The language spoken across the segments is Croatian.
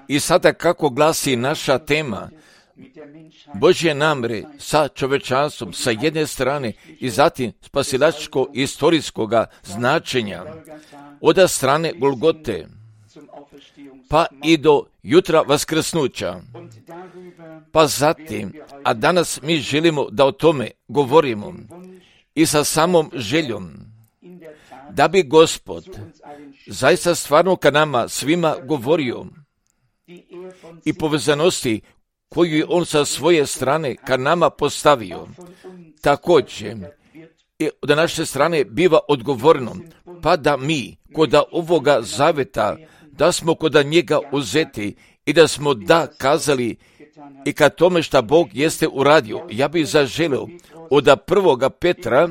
I sada kako glasi naša tema, Božje namere sa čovečanstvom sa jedne strane i zatim spasilačko istorijskoga značenja od strane Golgote pa i do jutra vaskrsnuća. Pa zatim, a danas mi želimo da o tome govorimo i sa samom željom da bi Gospod zaista stvarno ka nama svima govorio i povezanosti koju je on sa svoje strane ka nama postavio. Također, i od naše strane biva odgovorno, pa da mi kod ovoga zaveta, da smo kod njega uzeti i da smo da kazali i ka tome šta Bog jeste uradio. Ja bih zaželio od prvoga Petra,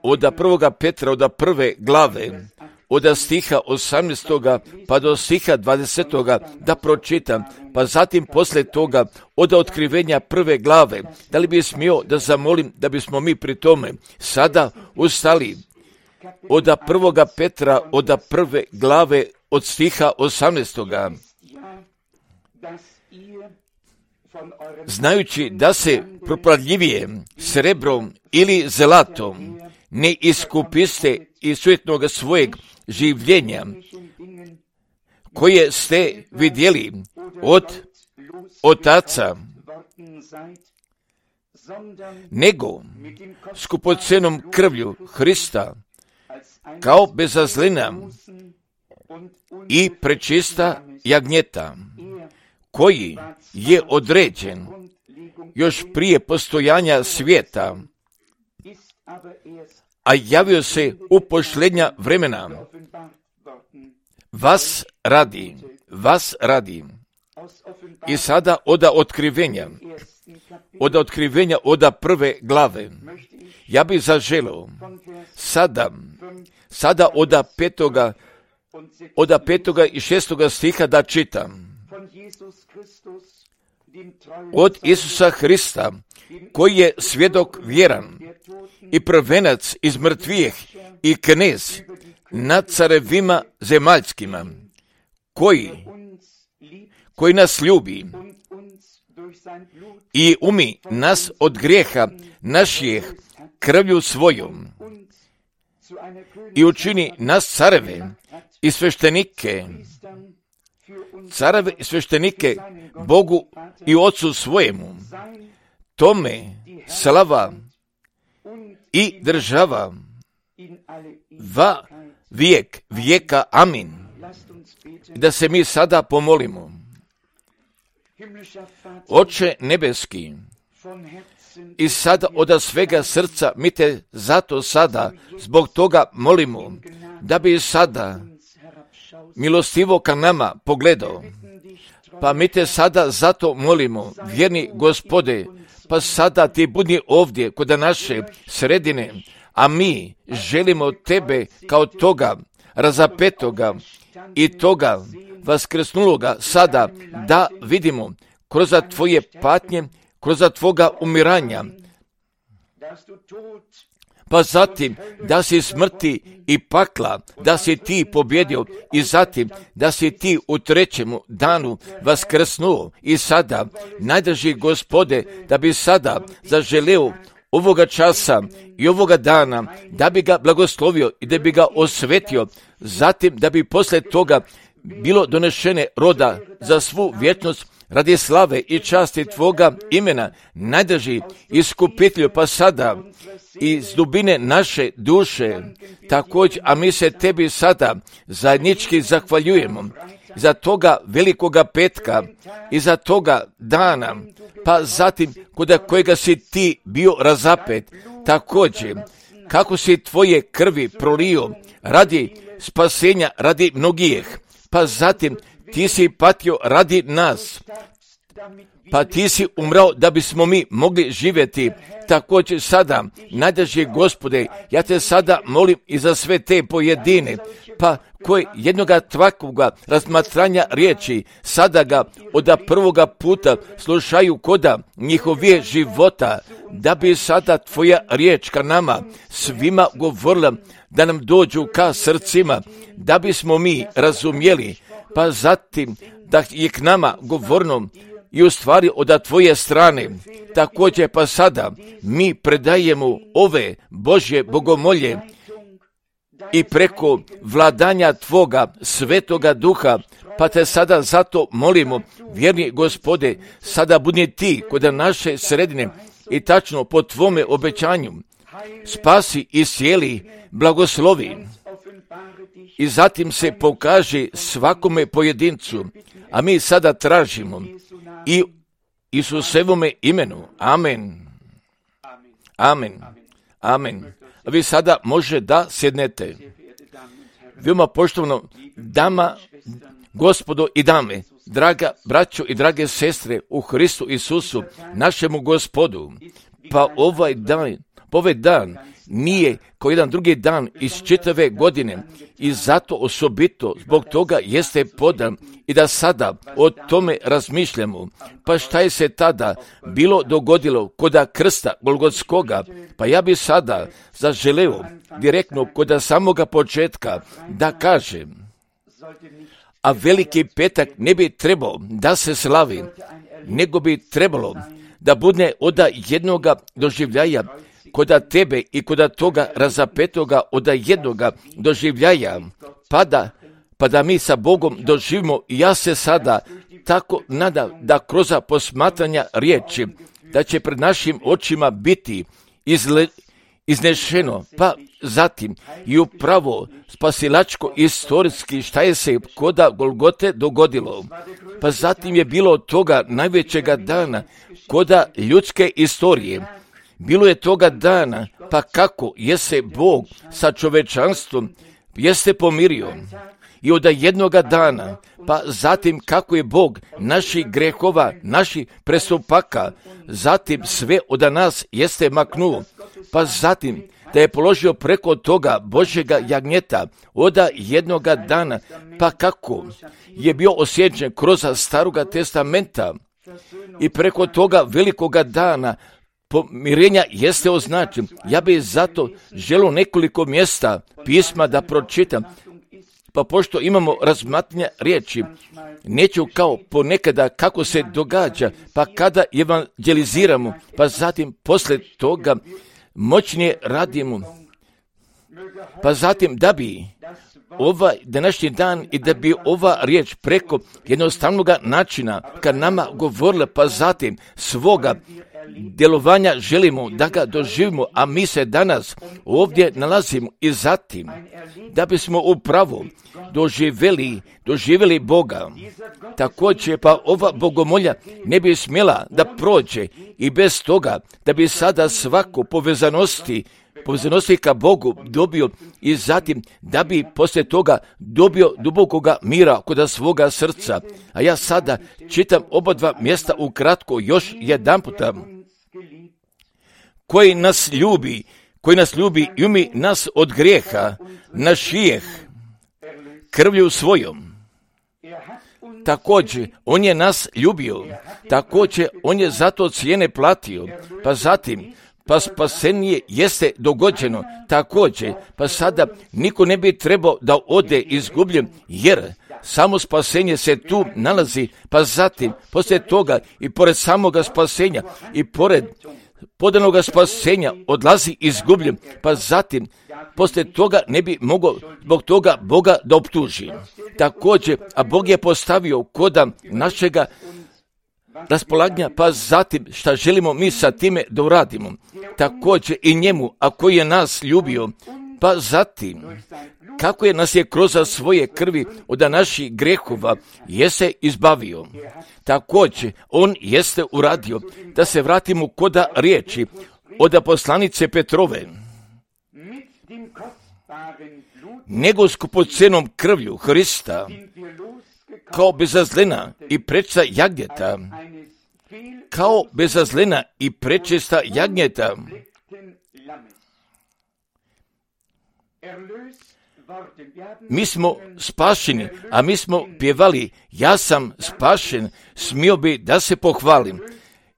od prve glave, od stiha 18. pa do stiha 20. da pročitam, pa zatim poslije toga od otkrivenja prve glave. Da li bi smio da zamolim da bismo mi pri tome sada ustali od prvoga Petra, od prve glave, od stiha 18. Znajući da se propadljivije srebrom ili zlatom ne iskupiste iz sujetnog svojeg življenja, koje ste vidjeli od otaca, nego skupocenom krvlju Hrista, kao bezazlina i prečista jagnjeta, koji je određen još prije postojanja svijeta, a javio se u posljednja vremena. Vas radi. I sada od otkrivenja od prve glave. Ja bih zaželio sada od petoga i šestoga stiha da čitam. Od Isusa Hrista, koji je svjedok vjeran i prvenac iz mrtvijeh i knez nad carevima zemaljskima, koji nas ljubi i umi nas od grijeha naših krvlju svojom i učini nas careve i sveštenike Bogu i Otcu svojemu. Tome slava i država va vijek vijeka. Amin. Da se mi sada pomolimo. Oče nebeski, i sada od svega srca mi te zato sada zbog toga molimo, da bi sada milostivo ka nama pogledao. Pa mi te sada zato molimo, vjerni Gospode, pa sada ti budi ovdje kod naše sredine, a mi želimo tebe kao toga razapetoga i toga vaskrsnuloga sada da vidimo kroz tvoje patnje, kroz tvoga umiranja, pa zatim da si smrti i pakla, da si ti pobjedio i zatim da si ti u trećemu danu vaskrsnuo i sada, najdrži Gospode, da bi sada zaželeo ovoga časa i ovoga dana, da bi ga blagoslovio i da bi ga osvetio, zatim da bi poslije toga bilo donešene roda za svu vječnost radi slave i časti tvoga imena, najdrži iskupitelju, pa sada iz dubine naše duše također, a mi se tebi sada zajednički zahvaljujemo za toga velikoga petka i za toga dana, pa zatim kod kojega si ti bio razapet, također kako si tvoje krvi prolio radi spasenja, radi mnogih, pa zatim ti si patio radi nas, pa ti si umrao da bismo mi mogli živjeti. Također sada, najdrži Gospode, ja te sada molim i za sve te pojedine, pa koji jednoga tvakvoga razmatranja riječi sada ga od prvoga puta slušaju koda njihove života, da bi sada tvoja riječ ka nama svima govorila, da nam dođu ka srcima, da bismo mi razumjeli pa zatim da je k nama govorno i u stvari od tvoje strane. Također pa sada mi predajemo ove Božje bogomolje i preko vladanja tvoga svetoga duha, pa te sada zato molimo, vjerni Gospode, sada budi ti kod naše sredine i tačno po tvome obećanju spasi i cijeli, blagoslovi. I zatim se pokaže svakome pojedincu, a mi sada tražimo i Isusevome imenu. Amen. Amen. Amen. A vi sada može da sjednete. Veoma poštovano dama, gospodo i dame, draga braćo i drage sestre u Hristu Isusu, našemu Gospodu, pa ovaj dan nije kao jedan drugi dan iz čitave godine i zato osobito zbog toga jeste podan i da sada o tome razmišljamo. Pa šta je se tada bilo dogodilo koda krsta Golgotskoga? Pa ja bi sada zaželeo direktno koda samoga početka da kažem, a veliki petak ne bi trebao da se slavi, nego bi trebalo da bude od jednoga doživljaja koda tebe i koda toga razapetoga od jednoga doživljaja, pa da mi sa Bogom doživimo. I ja se sada tako nadam da kroz posmatranja riječi, da će pred našim očima biti iznešeno, pa zatim i upravo spasilačko istorijski šta je se koda Golgote dogodilo. Pa zatim je bilo od toga najvećega dana koda ljudske istorije. Bilo je toga dana, pa kako je se Bog sa čovečanstvom jeste pomirio. I od jednoga dana, pa zatim kako je Bog naših grehova, naših prestupaka, zatim sve od nas jeste maknuo, pa zatim da je položio preko toga Božjega jagnjeta od jednoga dana, pa kako je bio osjećan kroz Staroga testamenta i preko toga velikoga dana pomirenja jeste označen. Ja bih zato želio nekoliko mjesta pisma da pročitam, pa pošto imamo razmatranja riječi, neću kao ponekada kako se događa, pa kada evangeliziramo, pa zatim poslije toga moćnije radimo, pa zatim da bi ovaj današnji dan i da bi ova riječ preko jednostavnog načina kad nama govorila, pa zatim svoga djelovanja želimo da ga doživimo, a mi se danas ovdje nalazimo i zatim da bismo upravo doživjeli Boga. Također pa ova bogomolja ne bi smjela da prođe i bez toga da bi sada svako povezanosti ka Bogu dobio i zatim da bi poslije toga dobio dubokoga mira kod svoga srca. A ja sada čitam oba dva mjesta ukratko još jedan puta. Koji nas ljubi i umi nas od grijeha, naš grijeh krvlju svojom. Također, on je nas ljubio, također on je zato cijene platio, pa zatim, pa spasenje jeste dogođeno, također, pa sada niko ne bi trebao da ode izgubljen, jer samo spasenje se tu nalazi, pa zatim, poslije toga i pored samoga spasenja i pored podanoga spasenja odlazi izgubljen, pa zatim poslije toga ne bi mogao zbog toga Boga da optuži. Također, a Bog je postavio koda našega raspolaganja, pa zatim šta želimo mi sa time da uradimo. Također i njemu, a koji je nas ljubio, pa zatim kako je nas je kroz svoje krvi od naših grehova jeste izbavio. Također, on jeste uradio da se vratimo koda riječi od poslanice Petrove. Nego skupocenom krvlju Hrista, kao bezazlena i prečista jagnjeta, Mi smo spašeni, a mi smo pjevali, ja sam spašen, smio bi da se pohvalim.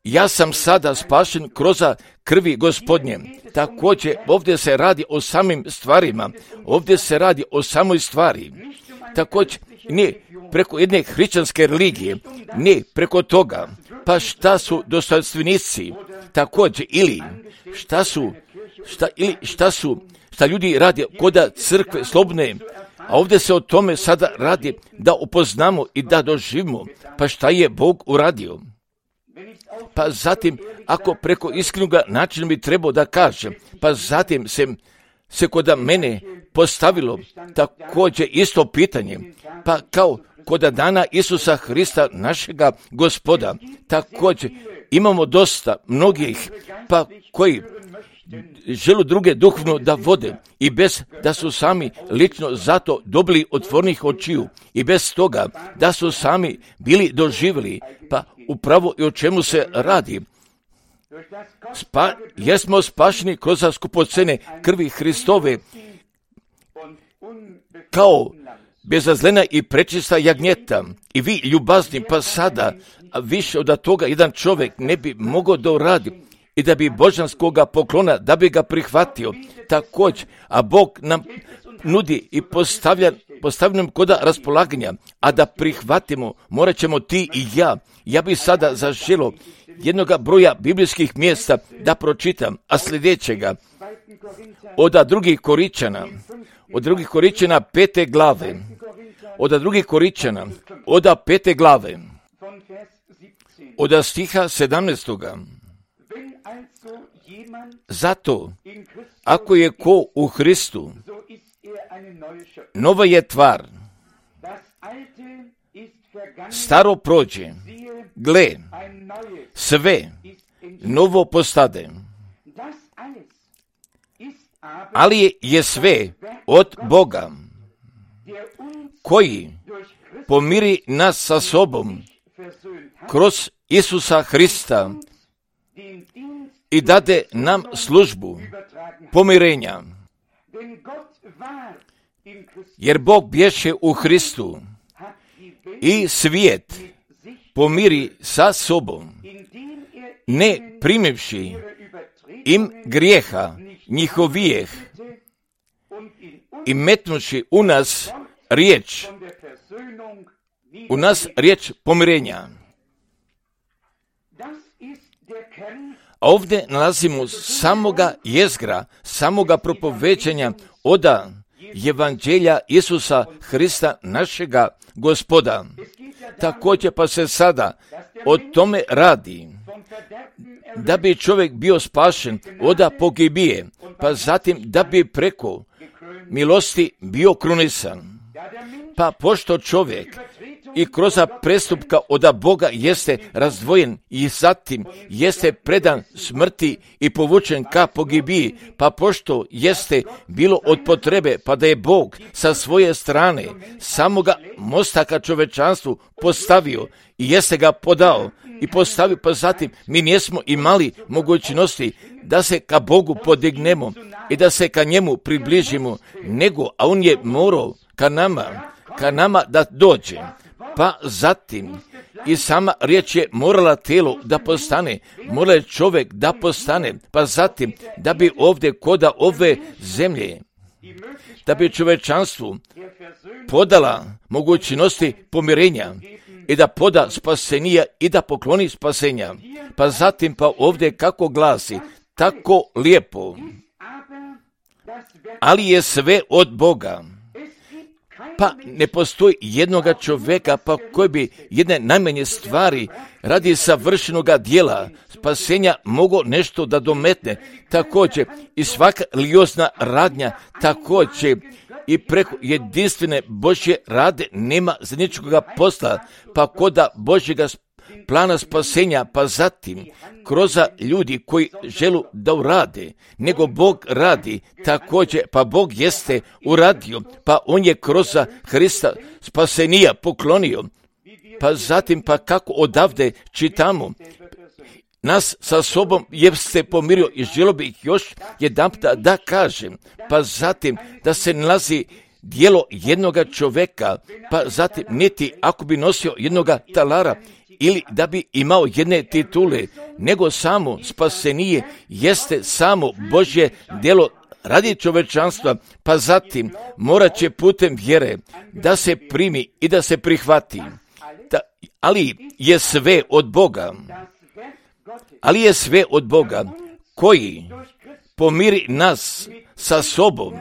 Ja sam sada spašen kroz krvi Gospodnje. Također, ovdje se radi o samim stvarima, ovdje se radi o samoj stvari. također ne preko jedne hrišćanske religije, ne preko toga. Pa šta su dostojanstvenici također, ili šta ljudi radi koda crkve slobodne, a ovdje se o tome sada radi da upoznamo i da doživimo, pa šta je Bog uradio. Pa zatim, ako preko iskrenog načina bi trebao da kažem, pa zatim se kod mene postavilo također isto pitanje, pa kao kod dana Isusa Hrista, našega Gospoda, također imamo dosta mnogih, pa koji žele druge duhovno da vode i bez da su sami lično zato dobili otvornih očiju i bez toga da su sami bili doživjeli, pa upravo i o čemu se radi. Jesmo spašeni kroz skupocene krvi Hristove kao bezazlena i prečista jagnjeta i vi ljubazni, pa sada više od toga jedan čovjek ne bi mogao da uradi i da bi božanskoga poklona, da bi ga prihvatio također, a Bog nam nudi i postavlja nam koda raspolaganja, a da prihvatimo, morat ćemo ti i ja. Ja bi sada zaželio jednoga broja biblijskih mjesta da pročitam, a sljedećega od drugih Koričana 5. glave, od 5. glave, od stiha 17. Zato, ako je ko u Hristu, nova je tvar, staro prođe, gle, sve novo postade. Ali je sve od Boga, koji pomiri nas sa sobom kroz Isusa Hrista i dade nam službu pomirenja. Jer Bog bješe u Hristu i svijet pomiri sa sobom, ne primivši im grijeha njihovijeh i metnuši u nas riječ pomirenja. Ovdje nalazimo samoga jezgra, samoga propovećanja od Evanđelja Isusa Hrista, našega Gospoda. Također pa se sada o tome radi, da bi čovjek bio spašen od pogibije, pa zatim da bi preko milosti bio krunisan. Pa pošto čovjek i kroz prestupka od Boga jeste razdvojen i zatim jeste predan smrti i povučen ka pogibiji, pa pošto jeste bilo od potrebe, pa da je Bog sa svoje strane samoga mosta ka čovečanstvu postavio i jeste ga podao i postavio, pa zatim mi nismo imali mogućnosti da se ka Bogu podignemo i da se ka njemu približimo, nego, a on je morao ka nama da dođe. Pa zatim i sama riječ je morala tijelo da postane, mora čovjek da postane, pa zatim da bi ovdje koda ove zemlje, da bi čovečanstvu podala mogućnosti pomirenja i da poda spasenija i da pokloni spasenja. Pa zatim pa ovdje kako glasi, tako lijepo, ali je sve od Boga. Pa ne postoji jednoga čovjeka pa koji bi jedne najmanje stvari radi savršenoga dijela spasenja mogao nešto da dometne. Također i svaka religiozna radnja također i preko jedinstvene Božje rade nema zajedničkoga posla, pa koda Božjega plana spasenja, pa zatim kroz ljudi koji želu da urade, nego Bog radi također, pa Bog jeste uradio, pa on je kroz Hrista spasenija poklonio, pa zatim pa kako odavde čitamo, nas sa sobom jeste pomirio i želio bih još jedanput da kažem, pa zatim da se nalazi dijelo jednoga čovjeka, pa zatim niti ako bi nosio jednoga talara ili da bi imao jedne titule, nego samo spasenije jeste samo Božje djelo radi čovečanstva, pa zatim morat će putem vjere da se primi i da se prihvati. Ali je sve od Boga, koji pomiri nas sa sobom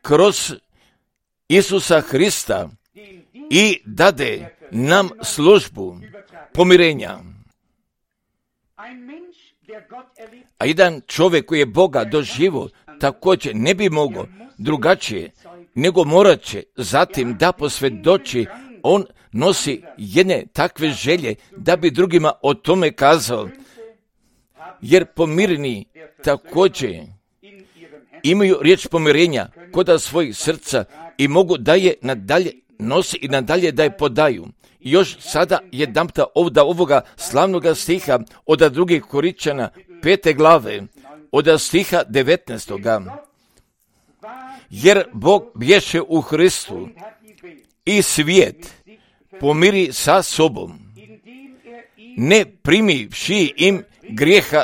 kroz Isusa Hrista i dade nam službu pomirenja. A jedan čovjek koji je Boga doživio također ne bi mogao drugačije, nego morat će zatim da posvjedoči. On nosi jedne takve želje da bi drugima o tome kazao, jer pomireni također imaju riječ pomirenja kod svojih srca i mogu da je nadalje nosi i nadalje da je podaju. I još sada jedanputa ovoga slavnoga stiha od 2. Korinčana 5. glave, od stiha 19. Jer Bog bješe u Hristu i svijet pomiri sa sobom, ne primivši im grijeha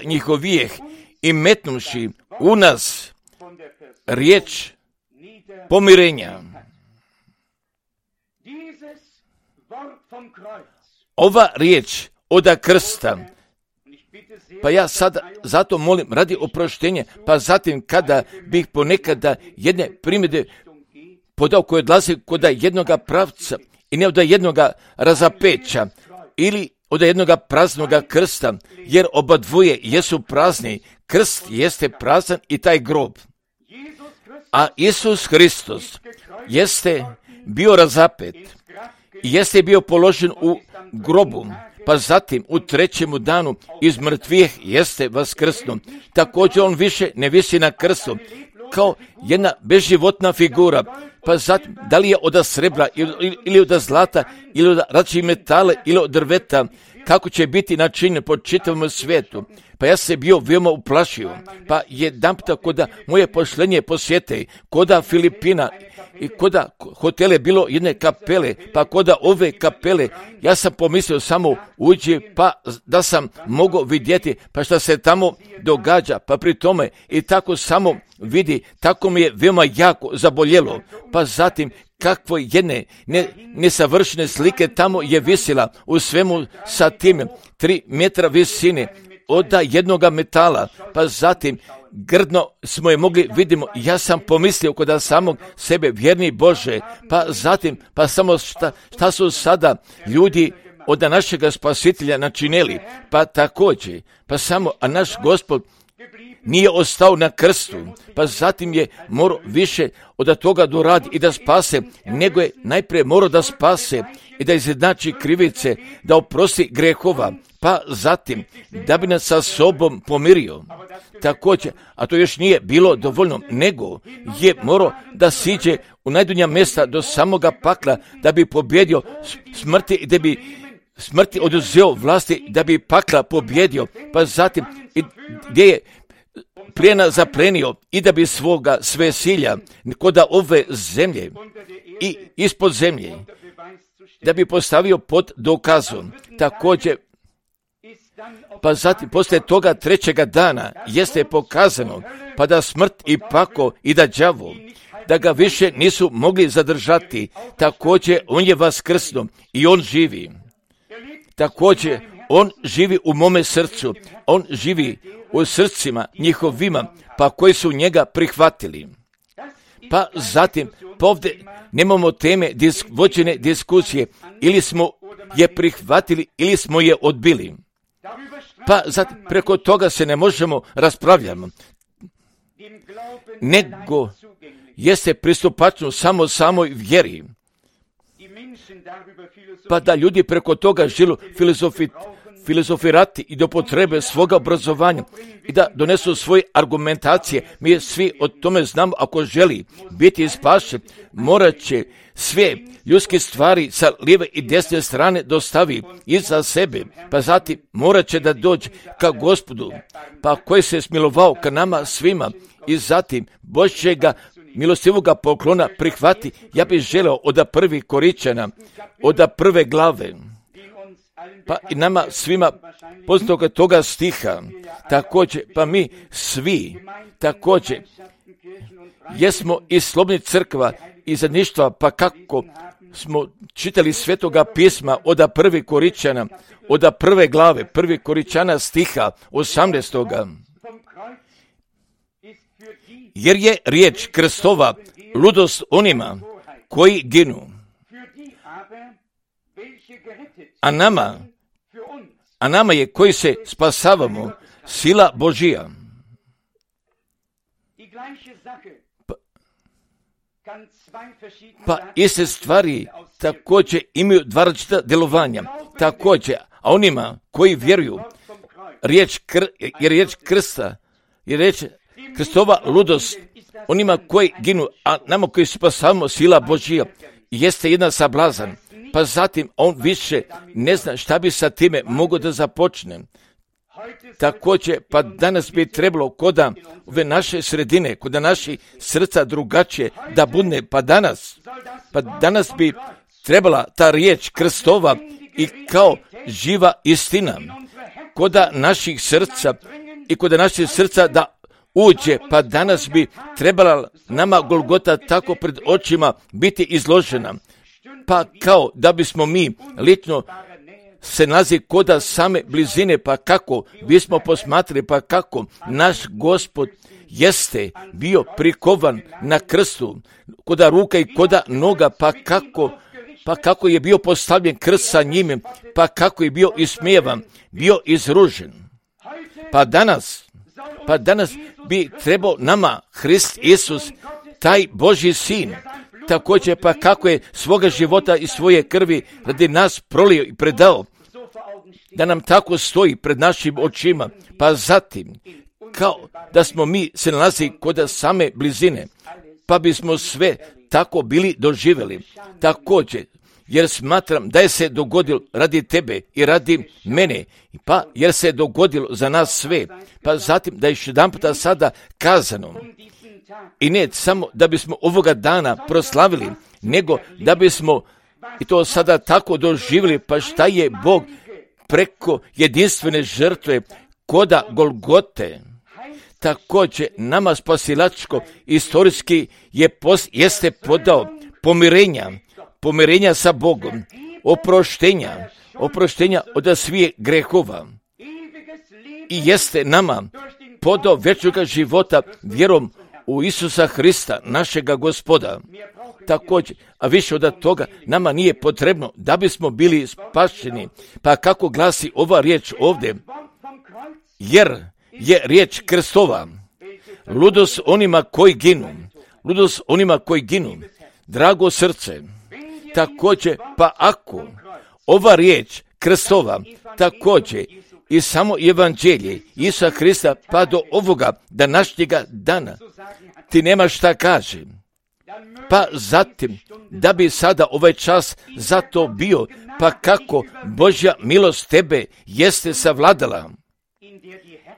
njihovijeh, i metnuši u nas riječ pomirenja. Ova riječ od krsta, pa ja sada zato molim radi oproštenja, pa zatim kada bih ponekada jedne primjedbe podao koje odlaze kod jednoga pravca i ne od jednoga razapeća ili od jednoga praznoga krsta, jer oba dvoje jesu prazni, krst jeste prazan i taj grob. A Isus Hristos jeste bio razapet, jeste bio položen u grobu, pa zatim u 3. danu iz mrtvih jeste vaskrsno. Također on više ne visi na krstu, kao jedna bezživotna figura, pa zatim da li je od srebra ili od zlata ili od različitih metala ili od drveta, kako će biti načinjen po čitavom svijetu. Pa ja se bio veoma uplašio, pa jedanputa koda moje pošlenje posjete, koda Filipina i koda hotele bilo jedne kapele, pa koda ove kapele, ja sam pomislio samo uđi, pa da sam mogao vidjeti, pa šta se tamo događa, pa pri tome i tako samo vidi, tako mi je veoma jako zaboljelo, pa zatim kakvo jedne nesavršene slike tamo je visila u svemu sa tim 3 metra visine od jednoga metala, pa zatim grdno smo je mogli vidimo. Ja sam pomislio kod samog sebe, vjerni Bože, pa zatim, pa samo šta su sada ljudi od našega spasitelja načinili, pa također, pa samo, a naš Gospod nije ostao na krstu, pa zatim je morao više od toga doradi i da spase, nego je najprije morao da spase i da izjednači krivice, da oprosti grehova, pa zatim da bi nas sa sobom pomirio. Također, a to još nije bilo dovoljno, nego je morao da siđe u najdunja mjesta do samoga pakla, da bi pobjedio smrti i da bi smrti oduzeo vlasti, da bi pakla pobjedio, pa zatim gdje je plijena zaplenio i da bi svoga sve silja kod ove zemlje i ispod zemlje, da bi postavio pod dokazom. Također, pa zatim poslije toga 3. dana jeste pokazano, pa da smrt i pako i da đavo, da ga više nisu mogli zadržati. Također on je vaskrsno i on živi. Također on živi u mome srcu, on živi u srcima njihovima, pa koji su njega prihvatili. Pa zatim, ovdje nemamo teme vođene diskusije, ili smo je prihvatili, ili smo je odbili. Pa zatim, preko toga se ne možemo raspravljati, nego jeste pristupačno samo samoj vjeri. Pa da ljudi preko toga žilu filozofirati i do potrebe svoga obrazovanja i da donesu svoje argumentacije. Mi svi o tome znamo, ako želi biti spašen, morat će sve ljudske stvari sa lijeve i desne strane dostavi iza sebe, pa zatim morat će da dođe ka Gospodu, pa koji se smilovao ka nama svima i zatim Božjega milostivoga poklona prihvati. Ja bih želeo od 1. Korinčana, od 1. glave, pa i nama svima poznatog toga stiha, također, pa mi svi, također, jesmo i slobodnih crkva i zajedništva, pa kako smo čitali Svetoga pisma od prvi Koričana, od prve glave, prvi Koričana stiha 18. Jer je riječ Kristova ludost onima koji ginu, a nama je koji se spasavamo sila Božija. Pa iste stvari također imaju dva različita djelovanja. Također, a onima koji vjeruju, riječ Krista, je riječ Kristova ludost, onima koji ginu, a nama koji spasavamo sila Božija, jeste jedan sablazan. Pa zatim on više ne zna šta bi sa time mogao da započne. Također, pa danas bi trebalo kod ove naše sredine, kod naši srca drugačije da budne, pa danas bi trebala ta riječ Kristova i kao živa istina kod naših srca i kod naših srca da uđe, pa danas bi trebala nama Golgota tako pred očima biti izložena, pa kao da bismo mi lično se nalazi koda same blizine, pa kako bismo posmatrali, pa kako naš Gospod jeste bio prikovan na krstu, koda ruka i koda noga, pa kako je bio postavljen krst sa njime, pa kako je bio ismijevan, bio izružen. Pa danas bi trebao nama Hrist Isus, taj Božji sin, također pa kako je svoga života i svoje krvi radi nas prolio i predao, da nam tako stoji pred našim očima, pa zatim kao da smo mi se nalazi kod same blizine, pa bismo sve tako bili doživjeli. Također, jer smatram da je se dogodilo radi tebe i radi mene, pa jer se dogodilo za nas sve, pa zatim da je još jedan puta sada kazano, i ne samo da bismo ovoga dana proslavili, nego da bismo i to sada tako doživjeli, pa šta je Bog preko jedinstvene žrtve koda Golgote, također nama spasilačko istorijski jeste podao pomirenja sa Bogom, oproštenja od svih grehova i jeste nama podao vječnoga života vjerom u Isusa Hrista, našega Gospoda. Također, a više od toga, nama nije potrebno da bismo bili spašeni. Pa kako glasi ova riječ ovdje? Jer je riječ Kristova ludost onima koji ginu, drago srce. Također, pa ako ova riječ Kristova, također i samo evanđelje Isusa Hrista, pa do ovoga današnjega dana ti nema šta kaže. Pa zatim, da bi sada ovaj čas za to bio, pa kako Božja milost tebe jeste savladala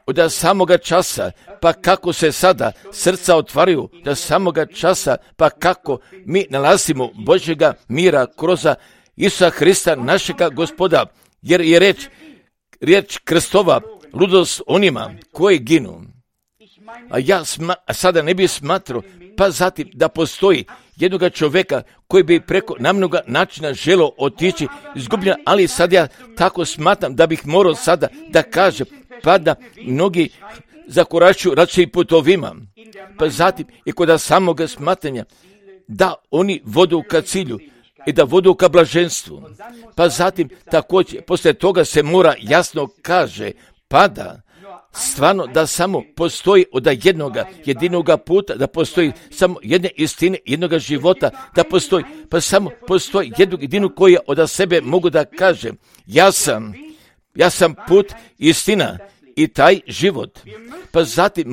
od samoga časa, pa kako se sada srca otvaraju do samoga časa, pa kako mi nalazimo Božjega mira kroz Isusa Hrista, našega Gospoda, jer je riječ Kristova ludost onima koji ginu. A ja sada ne bih smatrao, pa zatim da postoji jednoga čovjeka koji bi preko namnoga načina želio otići izgubljen, ali sad ja tako smatram da bih morao sada da kažem, pa da mnogi zakoračuju različitim putovima, pa zatim i kod samoga smatranja da oni vodu ka cilju i da vodu ka blaženstvu, pa zatim također poslije toga se mora jasno kaže, pa da stvarno da samo postoji od jedinoga puta, da postoji samo jedne istine, jednoga života, da postoji, pa samo postoji jedinu koji od sebe mogu da kažem, ja sam put, istina i taj život. Pa zatim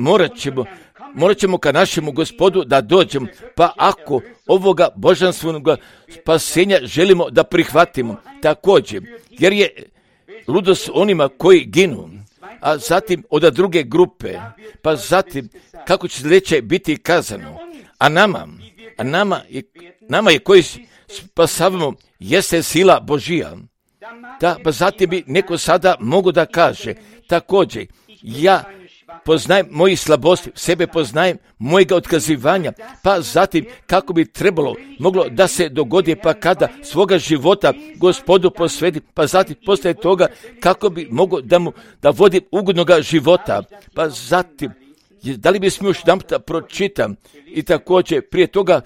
morat ćemo ka našemu Gospodu da dođemo, pa ako ovoga božanstvenog spasenja želimo da prihvatimo također, jer je ludost onima koji ginu, a zatim od druge grupe, pa zatim kako će sljedeće biti kazano, a nama je koji spasavamo jeste sila Božija. Da, pa zatim bi neko sada mogu da kaže, također, ja poznajem mojih slabosti, sebe poznajem, mojega otkazivanja, pa zatim kako bi moglo da se dogodi, pa kada svoga života Gospodu posvedi, pa zatim poslije toga kako bi mogao da vodi ugodnoga života, pa zatim, da li bi smio još jedan puta pročitam i također prije toga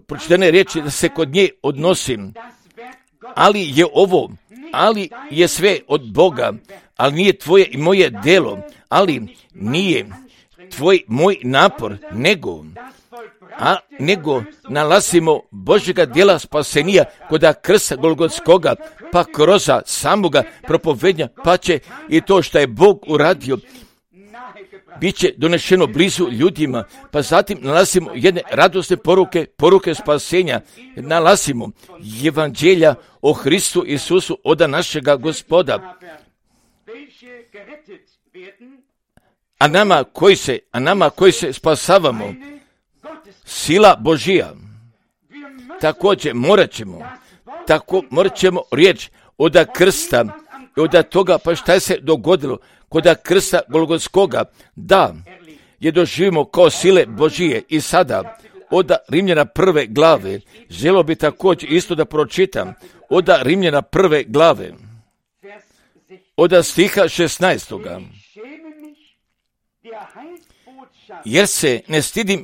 pročitane riječi da se kod nje odnosim, ali je sve od Boga, ali nije tvoje i moje delo, ali nije moj napor, nego nalazimo Božjega djela spasenija koda krsta Golgotskoga, pa kroz samoga propovednja, pa će i to što je Bog uradio bit će donešeno blizu ljudima, pa zatim nalazimo jedne radosne poruke spasenja, nalazimo evanđelja o Hristu Isusu od našega Gospoda. A nama koji se spasavamo, sila Božija, također morat ćemo riječ od krsta i od toga, pa šta je se dogodilo kod krsta Golgotskoga, da je doživimo kao sile Božije. I sada od Rimljana 1. glave, želio bi također isto da pročitam, od Rimljana 1. glave, od stiha 16. Jer se ne stidim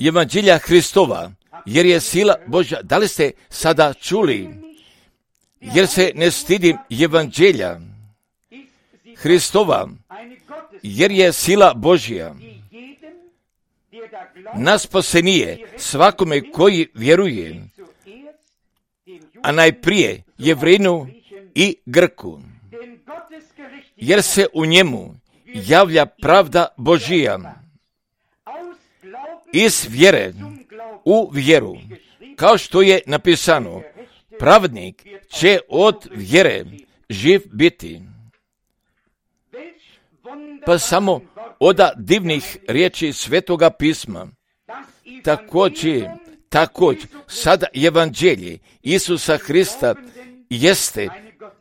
evanđelja Hristova, jer je sila Božja. Da li ste sada čuli? Jer se ne stidim evanđelja Hristova, jer je sila Božja na spasenije svakome koji vjeruje, a najprije Jevrinu i Grku, jer se u njemu javlja pravda Božija iz vjere u vjeru, kao što je napisano, pravednik će od vjere živ biti. Pa samo od divnih riječi Svetoga pisma, također sada evanđelje Isusa Hrista jeste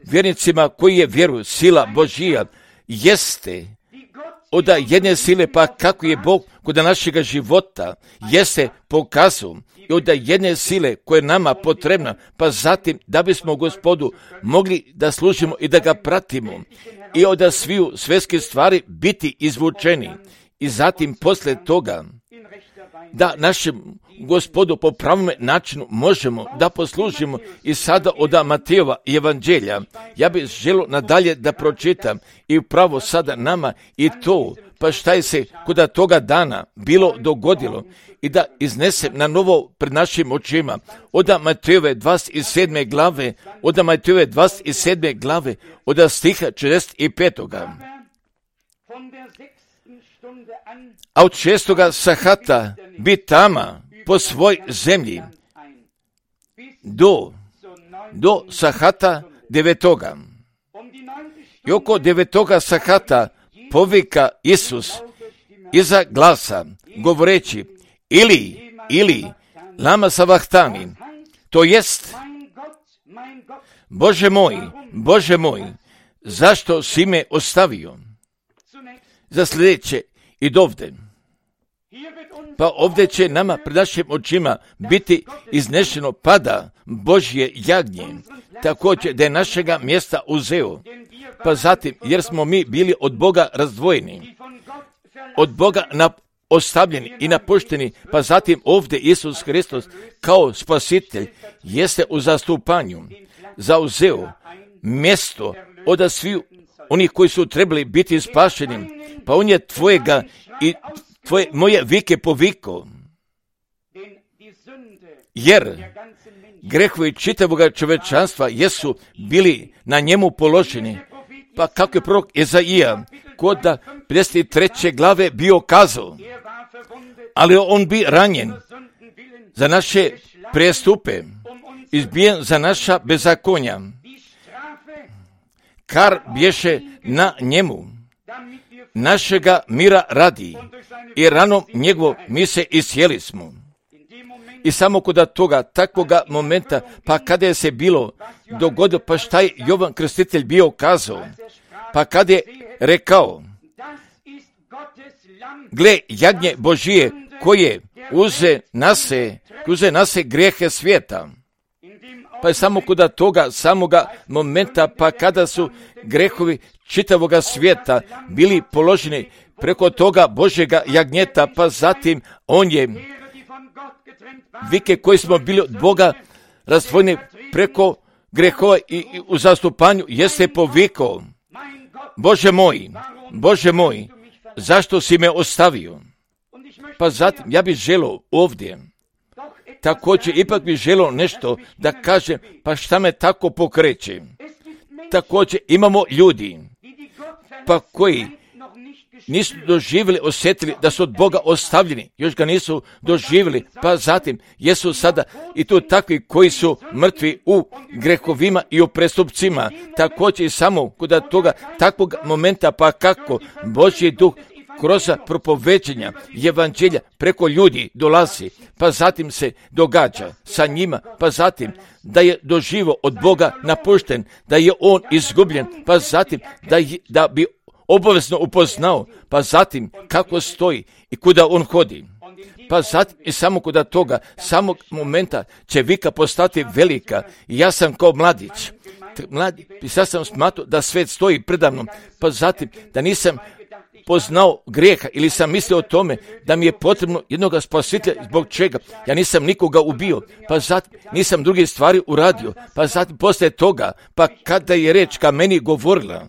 vjernicima koji je vjeruju, sila Božija jeste od jedne sile, pa kako je Bog kod našega života jeste pokazao i od jedne sile koja je nama potrebna, pa zatim da bismo Gospodu mogli da služimo i da ga pratimo i od sviju svjetskih stvari biti izvučeni i zatim poslije toga da našem Gospodu po pravom načinu možemo da poslužimo. I sada od Matejova evanđelja ja bih želio nadalje da pročitam i upravo sada nama i to, pa šta je se kod toga dana bilo dogodilo i da iznesem na novo pred našim očima od Matejove 27. glave, od stiha 45. A od 6. sahata bi tama po svoj zemlji do sahata 9. I oko 9. sahata povika Isus iza glasa, govoreći ili lama savahtani, to jest Bože moj, zašto si me ostavio? Za sljedeće i dovde. Pa ovdje će nama pred našim očima biti iznešeno pada Božje jagnje, također da je našega mjesta uzeo. Pa zatim, jer smo mi bili od Boga razdvojeni, od Boga ostavljeni i napušteni, pa zatim ovdje Isus Hristos kao spasitelj jeste u zastupanju zauzeo mjesto od svih onih koji su trebali biti spašeni, pa on je tvojega i moje vike poviko, jer grehovi čitavoga čovečanstva jesu bili na njemu položeni. Pa kako je prorok Ezaija kod 53. glave bio kazao, ali on bi ranjen za naše prestupe, izbijen za naša bezakonja, kar bješe na njemu, našega mira radi, i ranom njegovom mi se iscijeli smo. I samo kod toga, takvoga momenta, pa kada je se bilo dogodilo, pa šta je Jovan Krstitelj bio kazao, pa kada je rekao, gle, jagnje Božije, koje uze na se grijehe svijeta. Pa je samo kod toga samoga momenta, pa kada su grehovi čitavoga svijeta bili položeni preko toga Božjega jagnjeta, pa zatim on je vike koji smo bili od Boga razdvojeni preko grehova i u zastupanju jeste povikao, Bože moj, zašto si me ostavio? Pa zatim ja bih želio ovdje, također ipak bih želio nešto da kažem, pa šta me tako pokreće. Također imamo ljudi, pa koji nisu doživjeli, osjetili da su od Boga ostavljeni, još ga nisu doživjeli, pa zatim jesu sada i tu takvi koji su mrtvi u grehovima i u prestupcima. Također i samo kod toga takvog momenta, pa kako Božji duh kroz propoveđenja evanđelja preko ljudi dolazi, pa zatim se događa sa njima, pa zatim da je doživo od Boga napušten, da je on izgubljen, pa zatim da bi obavezno upoznao, pa zatim kako stoji i kuda on hodi. Pa zatim i samo kod toga, samog momenta će vika postati velika. I ja sam kao mladić, i sad sam smatrao da svet stoji predavnom, pa zatim da nisam poznao grijeha ili sam mislio o tome da mi je potrebno jednoga spasitelja, zbog čega ja nisam nikoga ubio, pa zatim nisam druge stvari uradio, pa zatim poslije toga, pa kada je reč ka meni govorila,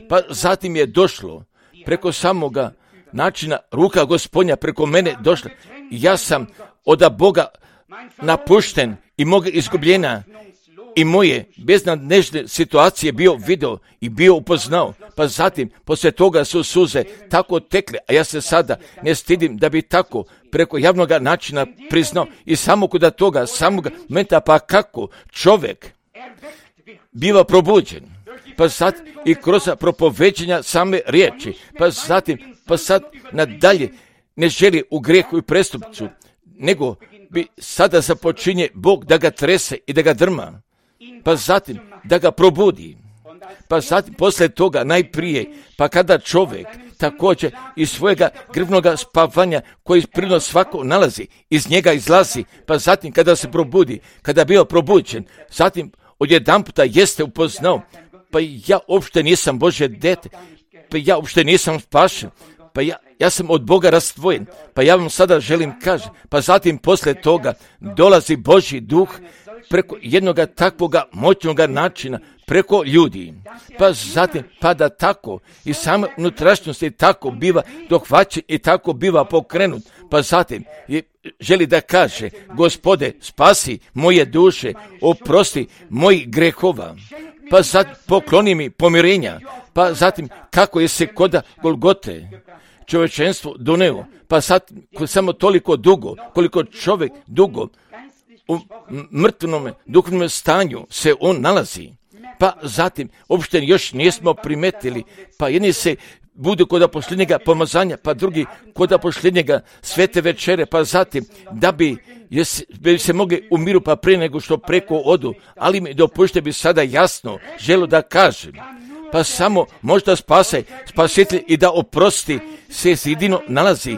pa zatim je došlo preko samoga načina ruka Gospodnja preko mene došla. Ja sam od Boga napušten i moga izgubljena i moje beznadnežne situacije bio video i bio upoznao. Pa zatim poslije toga su suze tako tekle, a ja se sada ne stidim da bi tako preko javnog načina priznao i samo kod toga samog momenta, pa kako čovjek biva probuđen, pa sad i kroz propoveđenja same riječi, pa sad nadalje ne želi u grijehu i prestupcu, nego bi sada započinje Bog da ga trese i da ga drma, pa zatim da ga probudi, pa zatim poslije toga najprije, pa kada čovjek također iz svojega grvnoga spavanja koji prirodno svako nalazi, iz njega izlazi, pa zatim kada se probudi, kada bio probuđen, zatim odjedanputa jeste upoznao, pa ja uopšte nisam Božje dete, pa ja uopšte nisam spašen, pa ja sam od Boga razdvojen, pa ja vam sada želim kažem, pa zatim poslije toga dolazi Božji duh preko jednoga takvoga moćnog načina, preko ljudi, pa zatim pa da tako i sama unutrašnjosti tako biva dohvaćen i tako biva pokrenut, pa zatim želi da kaže, Gospode, spasi moje duše, oprosti mojih grehova, pa zatim pokloni mi pomirenja, pa zatim kako je se koda Golgote čovječenstvo doneo, pa sad samo toliko dugo, koliko čovjek dugo u mrtvnom duhovnom stanju se on nalazi, pa zatim uopšte još nismo primetili, pa jedni se budu kod posljednjega pomazanja, pa drugi kod posljednjega svete večere, pa zatim da bi se mogli u miru pa prije nego što preko odu, ali mi dopušte bi sada jasno želo da kažem, pa samo možda spasitelj i da oprosti se jedino nalazi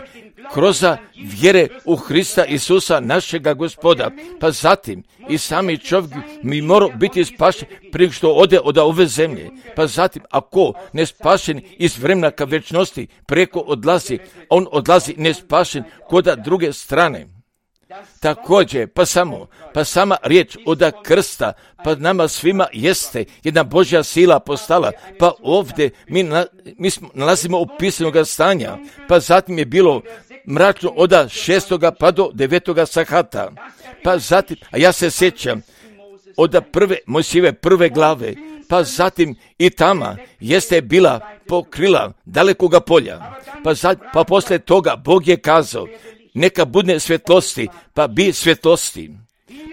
kroz vjere u Hrista Isusa našega Gospoda, pa zatim i sami čovjek mi mora biti spašen prije što ode od ove zemlje, pa zatim ako ne spašen iz vremena ka večnosti preko odlazi, on odlazi nespašen kod druge strane. Također, pa sama riječ od krsta, pa nama svima jeste jedna Božja sila postala, pa ovdje mi nalazimo u pisanog stanja, pa zatim je bilo mračno od 6. pa do 9. sahata, pa zatim, a ja se sjećam od Mojsijeve prve glave, pa zatim i tama jeste bila pokrila dalekoga polja, pa poslije toga Bog je kazao, neka bude svjetlosti, pa bi svjetlosti.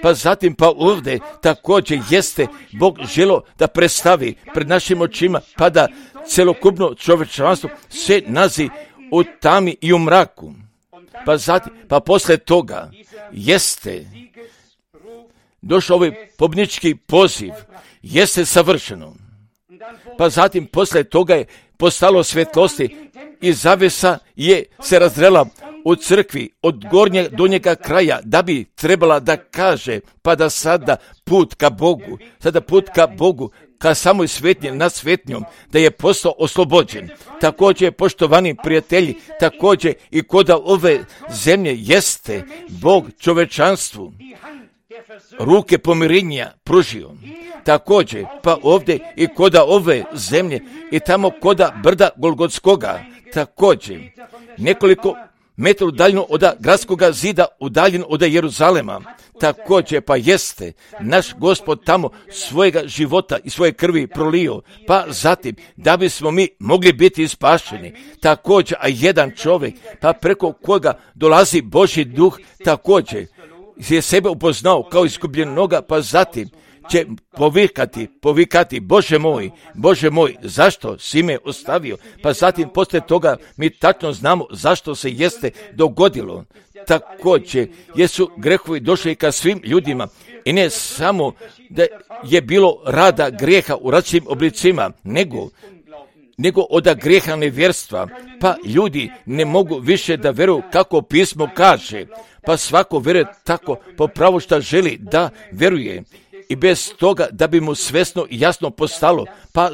Pa zatim pa ovdje također jeste Bog želo da predstavi pred našim očima, pa da celokupno čovječanstvo se nazi u tami i u mraku. pa posle toga jeste došao ovaj pobjednički poziv, jeste savršeno. Pa zatim posle toga je postalo svjetlosti i zavesa je se razrela u crkvi od gornjeg do njega kraja, da bi trebala da kaže, pa da sada put ka Bogu, ka samoj svetnji nad svetnjom, da je postao oslobođen. Također, poštovani prijatelji, također i kod ove zemlje jeste Bog čovečanstvu ruke pomirenja pružio. Također, pa ovdje i koda ove zemlje i tamo koda brda Golgotskoga, također nekoliko metara udaljeno od gradskoga zida, udaljen od Jeruzalema, također pa jeste naš Gospod tamo svojega života i svoje krvi prolio, pa zatim da bismo mi mogli biti spašeni. Također, a jedan čovjek, pa preko koga dolazi Božji duh, također je sebe upoznao kao izgubljenoga, pa zatim će povikati, Bože moj, zašto si me ostavio? Pa zatim poslije toga mi tačno znamo zašto se jeste dogodilo. Također jesu grehovi došli ka svim ljudima i ne samo da je bilo rada grijeha u različitim oblicima, nego od grijeha nevjerstva, pa ljudi ne mogu više da veruju kako pismo kaže, pa svako veruje tako po pravu šta želi da veruje i bez toga da bi mu svesno i jasno postalo, pa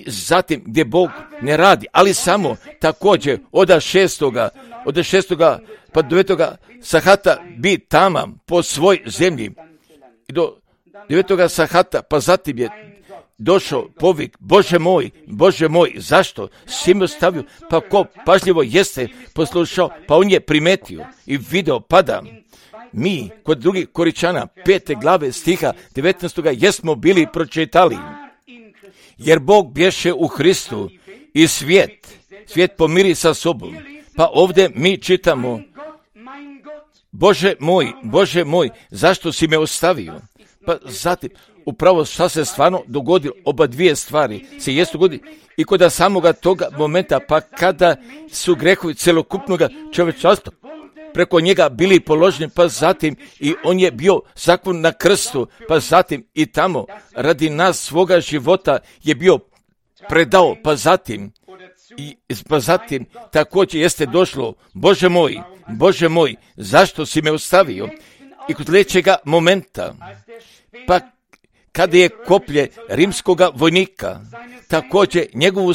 zatim gdje Bog ne radi, ali samo također od šestoga pa do 9. sahata bi tamam po svoj zemlji i do 9. sahata, pa zatim je došao povik, Bože moj, zašto si me ostavio? Pa ko pažljivo jeste poslušao, pa on je primetio i video pada. Mi, kod drugih Koričana, 5. glave stiha 19. jesmo bili pročitali. Jer Bog bješe u Hristu i svijet pomiri sa sobom. Pa ovdje mi čitamo, Bože moj, zašto si me ostavio? Pa zatim, upravo šta se stvarno dogodilo, oba dvije stvari se jesu dogodili i kod samoga toga momenta, pa kada su grehovi celokupnog čovječanstva preko njega bili položeni, pa zatim i on je bio zaklon na krstu, pa zatim i tamo radi nas svoga života je bio predao, pa zatim također jeste došlo, Bože moj, zašto si me ostavio? I kod sljedećega momenta, pa kada je koplje rimskoga vojnika, također njegovu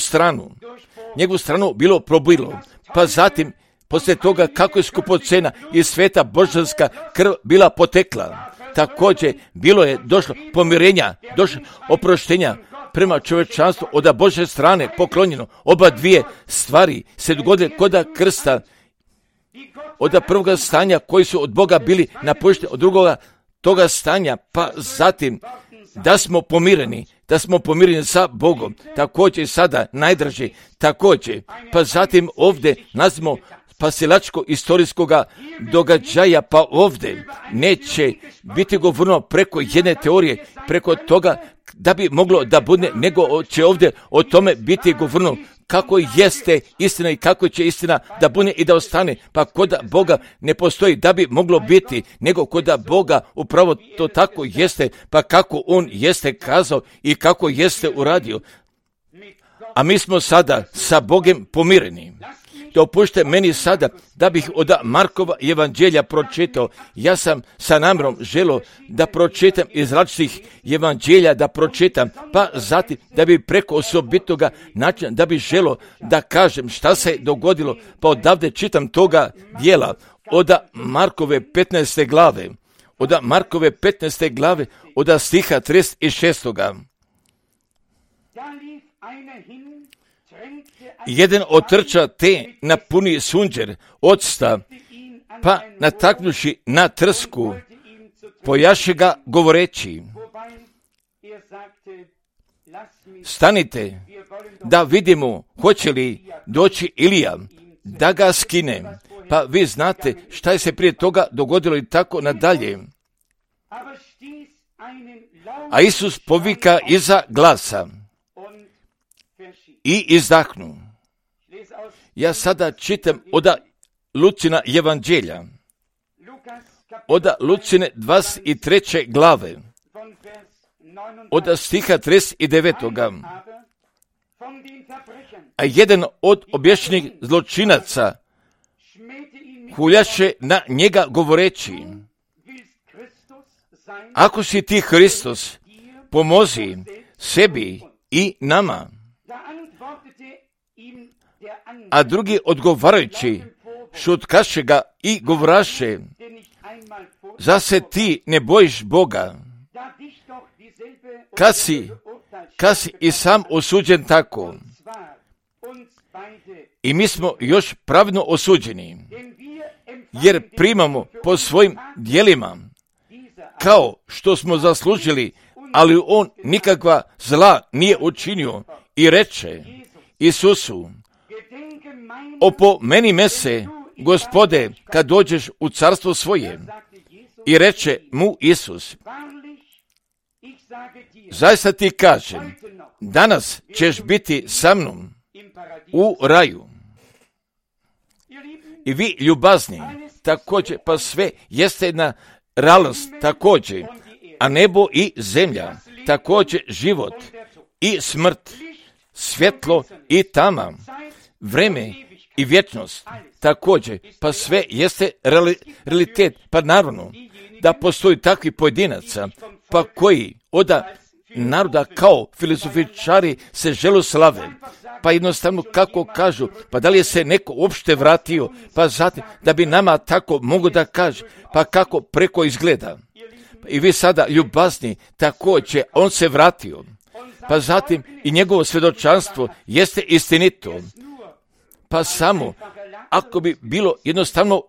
stranu bilo probilo, pa zatim poslije toga kako je skupocena i sveta božanska krv bila potekla, također bilo je došlo pomirenja, došlo oproštenja prema čovječanstvu od Božje strane poklonjeno. Oba dvije stvari se dogodile kod krsta, od prvoga stanja koji su od Boga bili napušteni, od drugoga toga stanja, pa zatim da smo pomireni sa Bogom, također sada najdraži, također, pa zatim ovdje nazvimo spasilačko istorijskoga događaja, pa ovdje neće biti govoreno preko jedne teorije, preko toga da bi moglo da bude, nego će ovdje o tome biti govoreno kako jeste istina i kako će istina da bude i da ostane, pa kod Boga ne postoji da bi moglo biti, nego kod Boga upravo to tako jeste, pa kako on jeste kazao i kako jeste uradio. A mi smo sada sa Bogom pomireni. Dopušte meni sada da bih od Markova evanđelja pročitao. Ja sam sa namjerom želio da pročitam iz različitih evanđelja, da pročitam, pa zatim da bi preko osobitoga načina, da bi želio da kažem šta se dogodilo, pa odavde čitam toga dijela od Markove 15. glave, od stiha 36. Jedan otrča te napuni sunđer octa, pa nataknuši na trsku, pojaše ga govoreći, stanite da vidimo hoće li doći Ilija da ga skine. Pa vi znate šta je se prije toga dogodilo i tako nadalje. A Isus povika iza glasa i izdahnu. Ja sada čitam od Lucina evanđelja, od Lucine 23. glave, od stiha 39. A jedan od obješenih zločinaca huljaše na njega govoreći: ako si ti Hristos, pomozi sebi i nama. A drugi odgovarajući šutkaše ga i govораše: za se ti ne bojiš Boga, kad si i sam osuđen tako. I mi smo još pravedno osuđeni, jer primamo po svojim djelima, kao što smo zaslužili, ali on nikakva zla nije učinio i reče Isusu: opomeni me se, Gospode, kad dođeš u carstvo svoje. I reče mu Isus: zaista ti kažem, danas ćeš biti sa mnom u raju. I vi, ljubazni, također, pa sve jeste jedna realnost također, a nebo i zemlja, također život i smrt, svjetlo i tama, vreme i vječnost, također, pa sve jeste realitet. Pa naravno da postoji takvi pojedinaca, pa koji od naroda kao filozofičari se žele slave, pa jednostavno kako kažu, pa da li je se neko uopšte vratio, pa zatim da bi nama tako mogu da kaže, pa kako preko izgleda. I vi sada, ljubazni, također on se vratio, pa zatim i njegovo svjedočanstvo jeste istinito. Pa samo ako bi bilo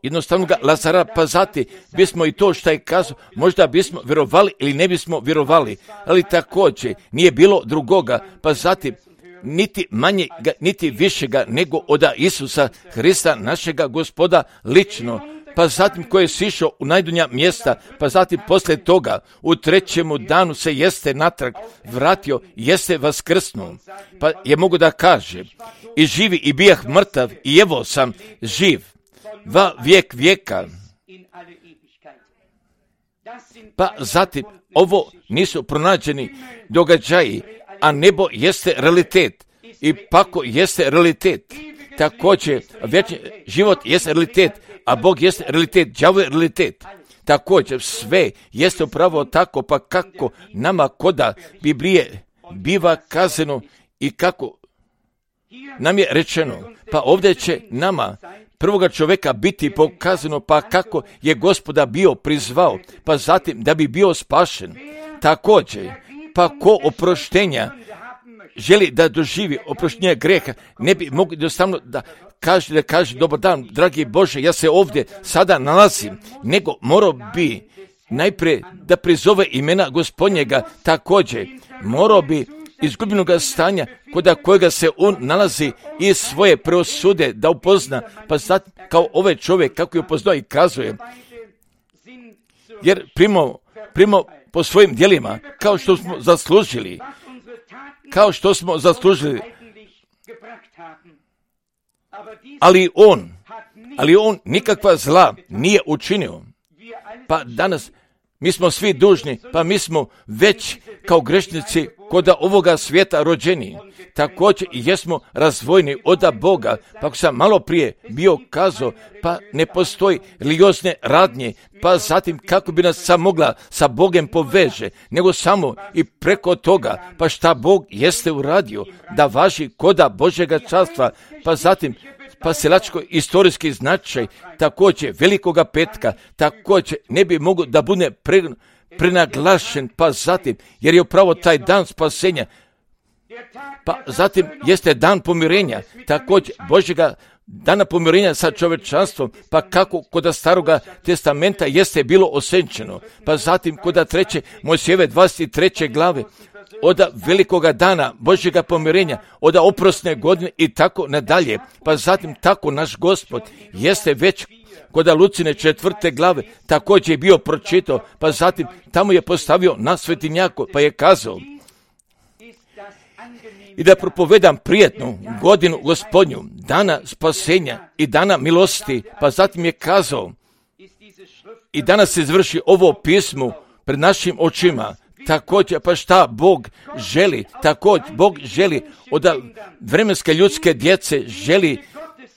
jednostavno ga Lazara, pa zatim bismo i to što je kazao, možda bismo vjerovali ili ne bismo vjerovali, ali također nije bilo drugoga, pa zatim niti manjega, niti višega nego od Isusa Hrista, našega Gospoda, lično, pa zatim koji je sišao u najdunja mjesta, pa zatim poslije toga u trećemu danu se jeste natrag vratio, jeste vaskrsnuo, pa je mogu da kaže: i živi i bijah mrtav i evo sam živ va vijek vijeka. Pa zatim ovo nisu pronađeni događaji, a nebo jeste realitet i pako jeste realitet. Također vječni život jeste realitet, a Bog jeste realitet, đavo je realitet. Također sve jeste upravo tako, pa kako nama koda Biblije biva kazano i kako nam je rečeno, pa ovdje će nama prvoga čovjeka biti pokazano, pa kako je Gospoda bio prizvao, pa zatim da bi bio spašen. Također, pa ko oproštenja želi da doživi oproštenje greha, ne bi mogli jednostavno da kaže dobar dan, dragi Bože, ja se ovdje sada nalazim, nego morao bi najprije da prizove imena Gospodnjega, također morao bi izgubljenoga stanja kod kojega se on nalazi i svoje preosude da upozna, pa zatim kao ovaj čovjek kako je upoznao i kazuje, jer primo po svojim djelima kao što smo zaslužili, ali on nikakva zla nije učinio. Pa danas mi smo svi dužni, pa mi smo već kao grešnici kod ovoga svijeta rođeni. Također i jesmo razvojni od Boga, pa ako sam malo prije bio kazao, pa ne postoji religiozne radnje, pa zatim kako bi nas sam mogla sa Bogem poveže, nego samo i preko toga, pa šta Bog jeste uradio, da važi koda Božjega carstva, pa zatim spasilačko istorijski značaj, također velikoga petka, također ne bi mogao da bude prenaglašen, pa zatim, jer je upravo taj dan spasenja, pa zatim jeste dan pomirenja, također Božjega dana pomirenja sa čovječanstvom, pa kako kod staroga testamenta jeste bilo osenčeno, pa zatim kod treće Mojsijeve 23. glave, od velikoga dana Božjega pomirenja, od oprosne godine i tako nadalje, pa zatim tako naš Gospod jeste već kod Lucine 4. glave također je bio pročitao, pa zatim tamo je postavio na svetinjaku, pa je kazao: i da propovedam prijetnu godinu Gospodnju, dana spasenja i dana milosti. Pa zatim je kazao, i danas se izvrši ovo pismo pred našim očima. Također, pa šta Bog želi? Također, Bog želi od vremenske ljudske djece, želi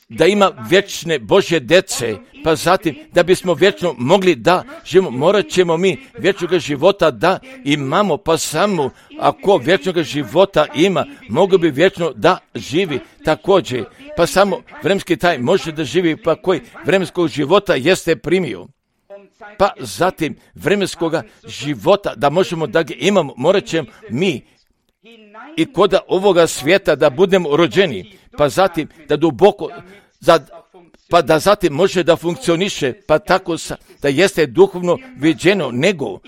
da ima vječne Božje djece, pa zatim da bismo vječno mogli da živimo, morat ćemo mi vječnog života da imamo, pa samo ako vječnog života ima, mogu bi vječno da živi također, pa samo vremenski taj može da živi, pa koji vremenskog života jeste primio. Pa zatim vremenskoga života da možemo da ga imamo, morat ćemo mi i koda ovoga svijeta da budemo rođeni, pa zatim da duboko, pa da zatim može da funkcioniše, pa tako da jeste duhovno viđeno, nego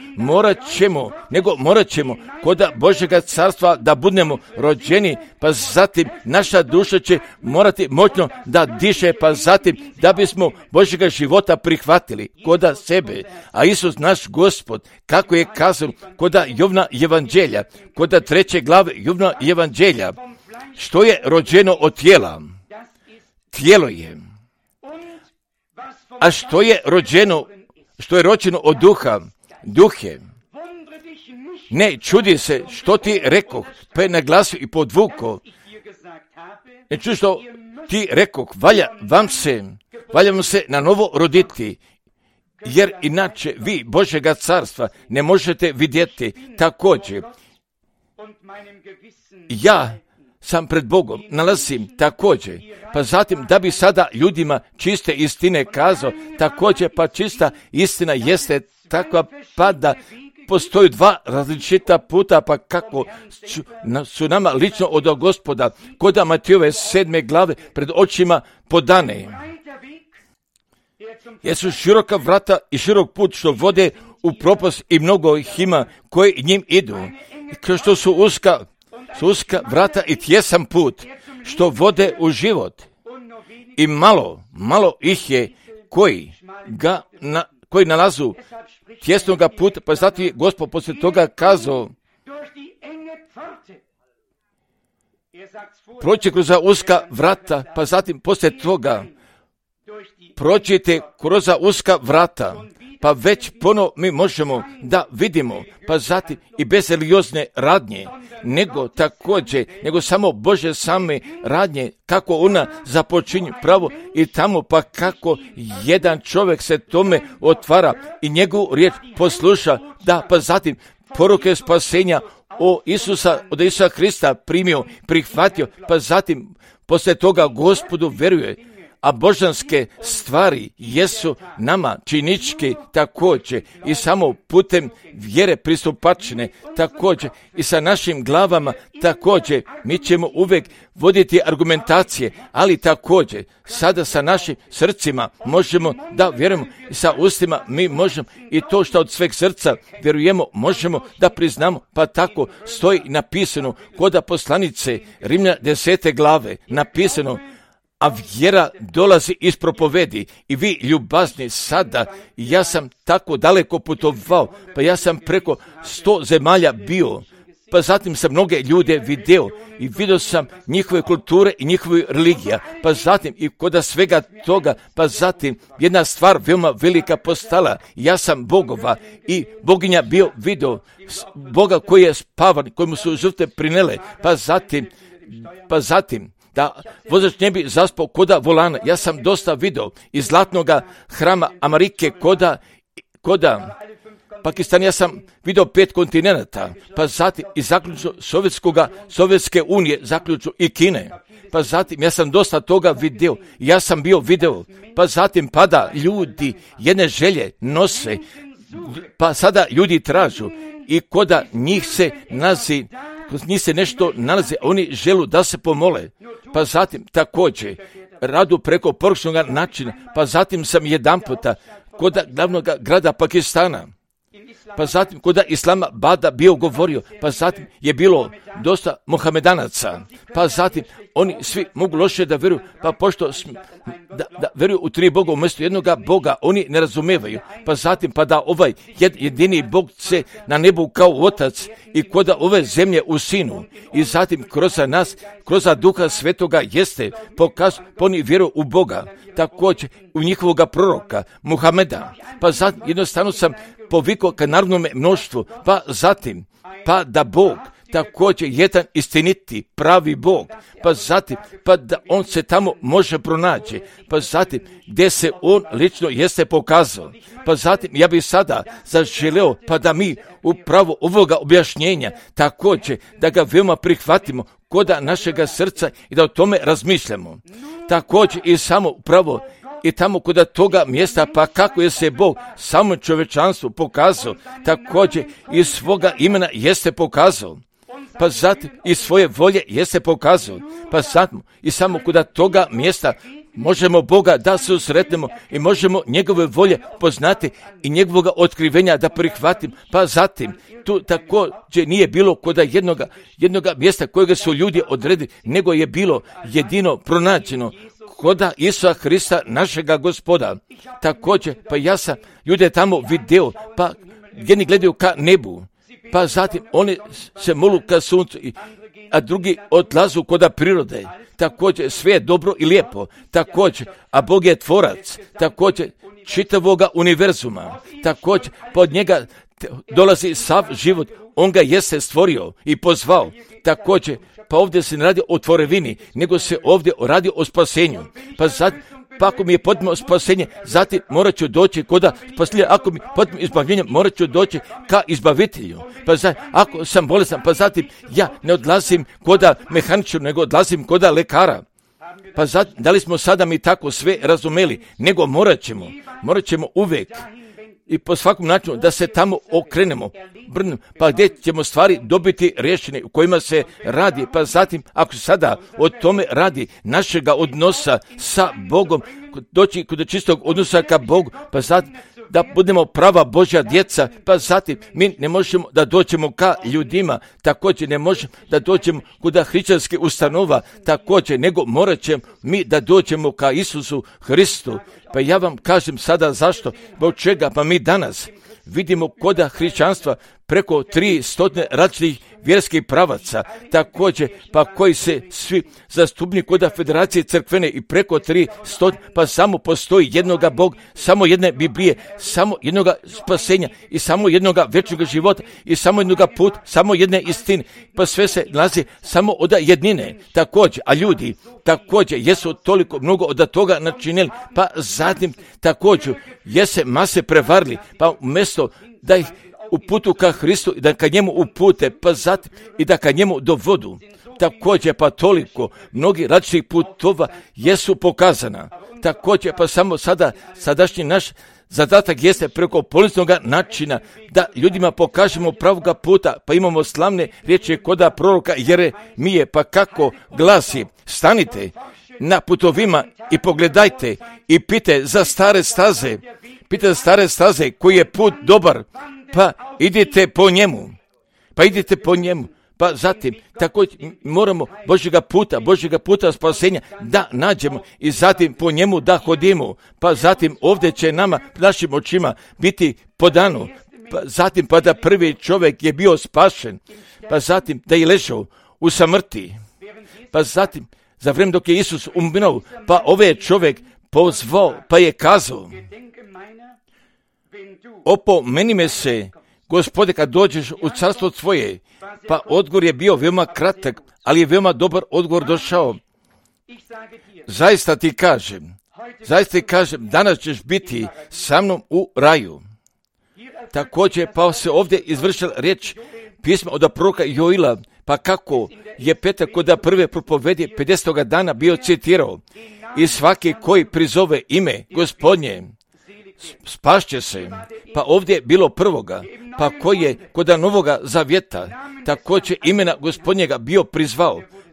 morat ćemo koda Božjega carstva da budemo rođeni, pa zatim naša duša će morati moćno da diše, pa zatim da bismo Božjega života prihvatili koda sebe. A Isus naš Gospod, kako je kazao koda Jovna evanđelja, koda 3. glave Jovna evanđelja, što je rođeno od tijela, tijelo je. A što je rođeno od duha, duh je. Ne čudi se što ti rekoh, pa je naglasio i podvuko. Ne čudi što ti rekoh, valja vam se na novo roditi, jer inače vi Božjega carstva ne možete vidjeti. Također, ja sam pred Bogom nalazim također, pa zatim da bi sada ljudima čiste istine kazao, također pa čista istina jeste takva pa da postoji dva različita puta, pa kako su nama lično od Gospoda koda Matejove 7. glave pred očima podane. Jesu široka vrata i širok put što vode u propast i mnogo ih ima koji njim idu, kao što su uska vrata i tjesan put što vode u život. I malo ih je koji nalazu tjesnoga puta, pa zato je Gospod poslije toga kazao, prođite kroz uska vrata, pa zatim poslije toga prođite kroz uska vrata, pa već mi možemo da vidimo, pa zatim i bez religiozne radnje, nego samo Bože same radnje, kako ona započinje pravo i tamo, pa kako jedan čovjek se tome otvara i njegovu riječ posluša, da pa zatim poruke spasenja od Isusa Krista primio, prihvatio, pa zatim poslije toga Gospodu veruje. A božanske stvari jesu nama činički također i samo putem vjere pristupačne također i sa našim glavama također. Mi ćemo uvijek voditi argumentacije, ali također sada sa našim srcima možemo da vjerujemo i sa ustima mi možemo i to što od sveg srca vjerujemo možemo da priznamo, pa tako stoji napisano koda poslanice Rimljana 10. glave napisano, a vjera dolazi iz propovedi i vi ljubazni sada, ja sam tako daleko putovao, pa ja sam preko 100 zemalja bio, pa zatim sam mnoge ljude vidio sam njihove kulture i njihove religija, pa zatim i kod svega toga, pa zatim jedna stvar veoma velika postala, ja sam Bogova i boginja bio vidio, Boga koji je spavan, kojemu su žrtve prinele, pa zatim da vozač ne bi zaspao koda volana. Ja sam dosta vidio iz zlatnoga hrama Amerike koda Pakistana, ja sam vidio 5 kontinenta, pa zatim i zaključno Sovjetske unije, zaključno i Kine, pa zatim ja sam dosta toga vidio, pa zatim pada ljudi jedne želje nose, pa sada ljudi tražu i koda njih se nešto nalazi, oni želu da se pomole, pa zatim također radu preko poručnog načina, pa zatim sam jedan puta kod glavnog grada Pakistana, pa zatim kod Islama Bada bio govorio, pa zatim je bilo dosta Mohamedanaca, pa zatim oni svi mogu loše da vjeruju, pa pošto da vjeruju u 3 Boga umjesto jednoga Boga, oni ne razumevaju, pa zatim pa da ovaj jedini Bog se na nebu kao Otac i kod ove zemlje u Sinu i zatim kroz nas, kroz Duha Svetoga jeste oni vjeruju u Boga, također u njihovoga proroka Muhameda, pa zatim jednostavno sam povikao ka narodnome mnoštvu, pa zatim pa da Bog također jedan istiniti, pravi Bog, pa zatim, pa da on se tamo može pronaći, pa zatim gdje se on lično jeste pokazao, pa zatim ja bih sada zaželeo, pa da mi upravo ovoga objašnjenja također da ga veoma prihvatimo koda našega srca i da o tome razmišljamo. Također i samo upravo i tamo kod toga mjesta, pa kako je se Bog samom čovječanstvu pokazao, također i svoga imena jeste pokazao, pa zatim i svoje volje jeste pokazao, pa zatim i samo kod toga mjesta možemo Boga da se usretnemo i možemo njegove volje poznati i njegovoga otkrivenja da prihvatim, pa zatim tu također nije bilo kod jednoga mjesta kojega su ljudi odredili, nego je bilo jedino pronađeno koda Isusa Hrista, našega Gospoda. Također, pa ja sam ljude tamo video, pa jedni gledaju ka nebu, pa zatim oni se molu ka suncu, a drugi odlazu koda prirode. Također, sve je dobro i lijepo. Također, a Bog je tvorac, također, čitavoga univerzuma. Također, pod njega dolazi sav život, on ga jeste stvorio i pozvao. Također, pa ovdje se ne radi o tvorevini, nego se ovdje radi o spasenju. Pa ako mi je potpuno spasenje, zatim morat ću doći koda spasenja, ako mi je potpuno izbavljenje, morat ću doći ka izbavitelju. Pa zatim, ako sam bolestan, pa zatim ja ne odlazim koda mehaničara, nego odlazim koda lekara. Pa zatim, da li smo sada mi tako sve razumeli, nego morat ćemo uvijek i po svakom načinu da se tamo okrenemo, pa gdje ćemo stvari dobiti rješenje u kojima se radi, pa zatim ako sada o tome radi našega odnosa sa Bogom, doći kod čistog odnosa ka Bogu, pa zatim da budemo prava Božja djeca, pa zatim mi ne možemo da dođemo ka ljudima, također ne možemo da dođemo kod hrišćanskih ustanova, također, nego morat ćemo mi da dođemo ka Isusu Hristu. Pa ja vam kažem sada zašto, zbog čega, pa mi danas vidimo koda hrišćanstva preko 300 različitih vjerskih pravaca, također pa koji se svi zastupni koda Federacije crkvene i preko 300, pa samo postoji jednoga Bog, samo jedne Biblije, samo jednoga spasenja i samo jednoga vječnoga života i samo jednoga puta, samo jedne istine, pa sve se nalazi samo od jednine, također, a ljudi također jesu toliko mnogo od toga načinili, pa zatim također jese mase prevarili, pa umjesto da ih uputu ka Hristu i da ka njemu upute, pa zatim i da ka njemu dovodu. Također pa toliko mnogi različitih putova jesu pokazana. Također pa samo sadašnji naš zadatak jeste preko polisnog načina da ljudima pokažemo pravoga puta, pa imamo slavne riječi koda proroka Jeremije, pa kako glasi: stanite na putovima i pogledajte i pite za stare staze koji je put dobar, pa idite po njemu. Pa zatim, također moramo Božjega puta spasenja da nađemo i zatim po njemu da hodimo. Pa zatim ovdje će nama, našim očima, biti podano. Pa zatim pa da prvi čovjek je bio spašen. Pa zatim da je ležao u samrti. Pa zatim, za vrijeme dok je Isus umirao, pa ovaj čovjek pozvao, pa je kazao: opomeni me se, Gospode, kad dođeš u carstvo tvoje. Pa odgovor je bio veoma kratak, ali je veoma dobar odgovor došao. Zaista ti kažem, danas ćeš biti sa mnom u raju. Također pa se ovdje izvršila riječ pisma od proroka Joila, pa kako je Petar kod prve propovedi 50. dana bio citirao: i svaki koji prizove ime Gospodnje spašće se. Pa ovdje je bilo prvoga, pa koji je kod Novoga Zavjeta također imena Gospodnjega bio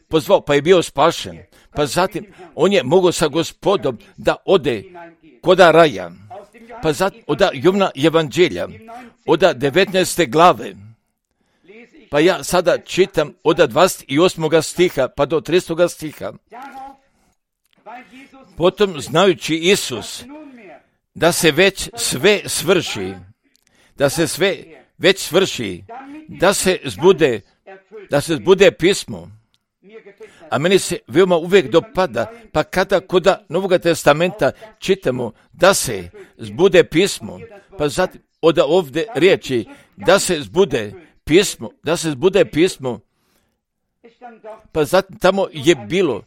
pozvao, pa je bio spašen. Pa zatim on je mogao sa Gospodom da ode koda raja. Pa zatim od Jovana evanđelja, od 19. glave, pa ja sada čitam od 28. stiha pa do 30. stiha. Potom znajući Isus da se već sve svrši, da se zbude pismo. A meni se veoma uvijek dopada, pa kada kod Novog testamenta čitamo da se zbude pismo, pa zatim od ovdje riječi da se zbude pismo, pa zatim tamo je bilo,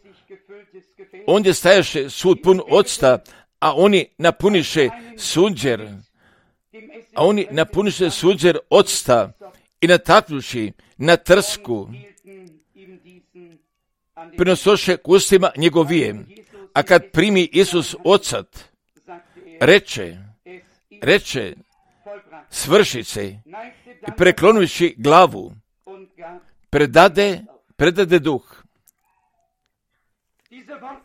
ondje stajaše sud pun octa, a oni napuniše sunđer octa i nataknuši na trsku, prinosoše k ustima njegovije. A kad primi Isus ocat, reče, svrši se, i preklonuši glavu, predade duh.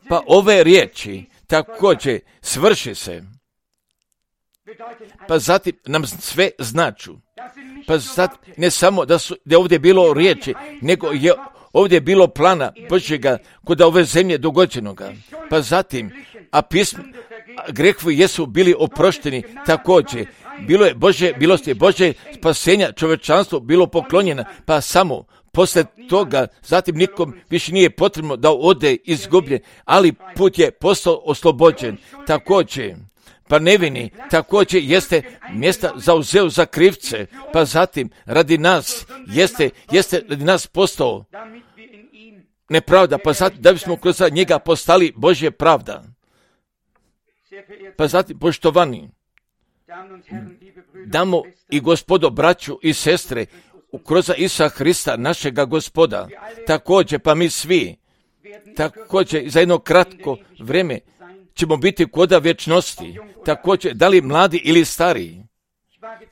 Pa ove riječi također svrši se, pa zatim nam sve značu. Pa zatim ne samo da je ovdje bilo riječi, nego je ovdje bilo plana Božjega kod ove zemlje dogođenoga. Pa zatim, a grehovi jesu bili oprošteni također. Bilo je Božje milosti, Božje spasenja, čovječanstvo bilo poklonjeno, pa samo poslije toga, zatim nikom više nije potrebno da ode izgubljen, ali put je postao oslobođen. Također, pa nevini također jeste mjesta zauzeo za krivce, pa zatim radi nas jeste radi nas postao nepravda, pa zatim da bismo kroz njega postali Božje pravda. Pa zatim, poštovani, damo i Gospodo, braću i sestre, kroz Isusa Hrista, našega Gospoda, također, pa mi svi, također za jedno kratko vrijeme ćemo biti koda vječnosti, također, da li mladi ili stariji.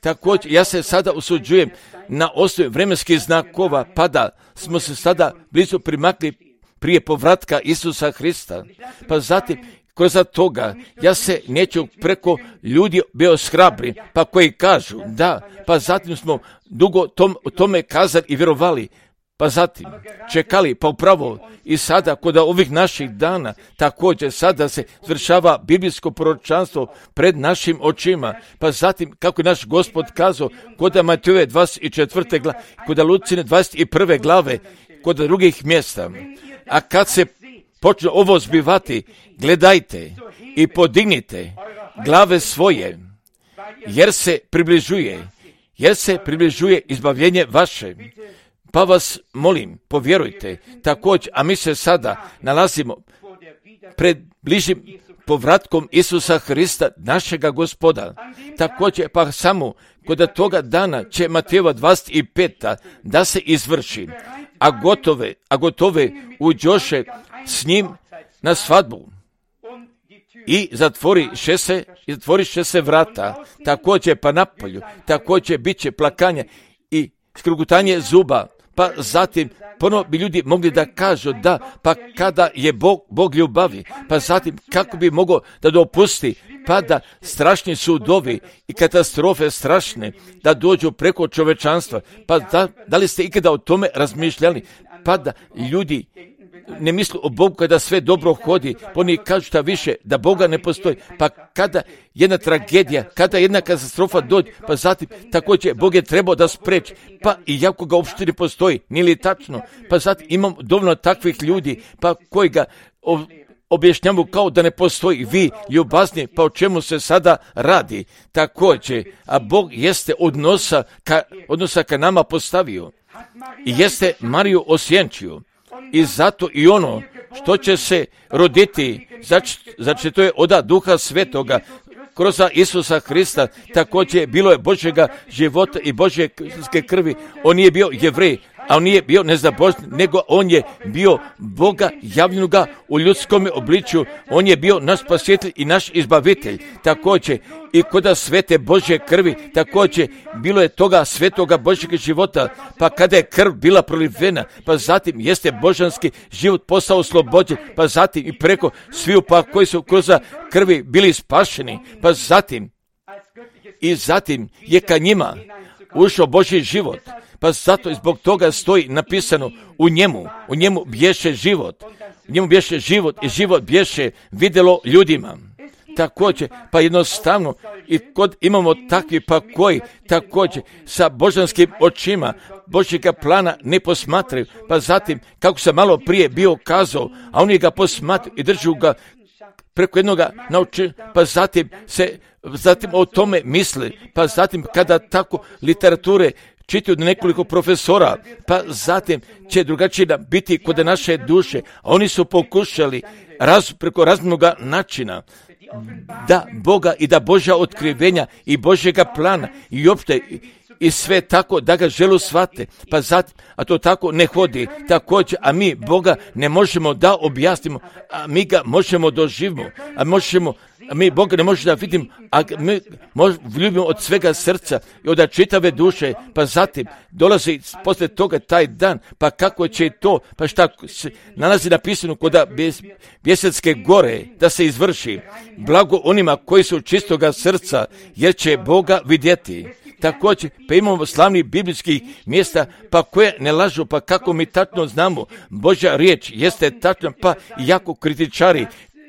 Također, ja se sada usuđujem na osnovi vremenskih znakova, pa da smo se sada blizu primakli prije povratka Isusa Hrista. Pa zatim, kroz toga, ja se neću preko ljudi bio shrabri, pa koji kažu da, pa zatim smo dugo tome kazali i vjerovali, pa zatim čekali, pa upravo i sada kod ovih naših dana također sada se zvršava biblijsko proročanstvo pred našim očima, pa zatim kako je naš Gospod kazao kod Matejove 24. glave, kod Lucine 21. glave, kod drugih mjesta. A kad se počne ovo zbivati, gledajte i podignite glave svoje, jer se približuje izbavljenje vaše. Pa vas molim, povjerujte također, a mi se sada nalazimo pred bližim povratkom Isusa Hrista, našega Gospoda. Također, pa samo kod toga dana će Matejova 25. da se izvrši, a gotove uđoše s njim na svadbu i zatvoriše se vrata, također pa napolju, također bit će plakanje i skrugutanje zuba, pa zatim ponovo bi ljudi mogli da kažu da, pa kada je Bog ljubavi, pa zatim kako bi mogao da dopusti, pa da strašni sudovi i katastrofe strašne da dođu preko čovečanstva, pa da li ste ikada o tome razmišljali, pa da ljudi ne misle o Bogu kada sve dobro hodi, pa oni kažu šta više, da Boga ne postoji, pa kada jedna tragedija, kada jedna katastrofa dođe, pa zatim također Bog je trebao da spreči, pa i jako ga uopšte ne postoji, nije li tačno, pa zatim imam dovoljno takvih ljudi, pa koji ga objašnjavu kao da ne postoji, vi ljubazni, pa o čemu se sada radi, također, a Bog jeste odnosa ka nama postavio i jeste Mariju osjenčio. I zato i ono što će se roditi, znači to je od Duha Svetoga, kroz Isusa Hrista, također bilo je Božjega života i Božje krvi. On nije bio Jevrej, a on nije bio nezabožni, nego on je bio Boga javljenoga u ljudskom obličju. On je bio naš spasitelj i naš izbavitelj. Također i kod svete Božje krvi, također bilo je toga svetoga Božjeg života, pa kada je krv bila prolivena, pa zatim jeste božanski život postao oslobođen, pa zatim i preko sviju pa koji su kroz krvi bili spašeni, pa zatim i zatim je ka njima ušao Božji život. Pa zato i zbog toga stoji napisano u njemu bješe život. U njemu bješe život i život bješe vidjelo ljudima. Također, pa jednostavno i kod imamo takvi pa koji također sa božanskim očima Božjega plana ne posmatraju, pa zatim kako sam malo prije bio kazao, a oni ga posmatraju i držu ga preko jednoga nauči, pa zatim o tome misli, pa zatim kada tako literature čitaju od nekoliko profesora, pa zatim će drugačije biti kod naše duše, a oni su pokušali preko raznog načina da Boga i da Božja otkrivenja i Božjega plana i opšte i sve tako da ga želu shvate, pa zatim, a to tako ne hodi također, a mi Boga ne možemo da objasnimo, a mi ga možemo doživimo, a mi Boga ne možemo da vidimo, a mi ljubimo od svega srca i od čitave duše, pa zatim dolazi poslije toga taj dan, pa kako će to, pa šta se nalazi napisano kod Bjesetske gore da se izvrši, blago onima koji su čistoga srca, jer će Boga vidjeti. Također, pa imamo slavnih biblijskih mjesta, pa koje ne lažu, pa kako mi tačno znamo, Božja riječ jeste tačna, pa jako kritičari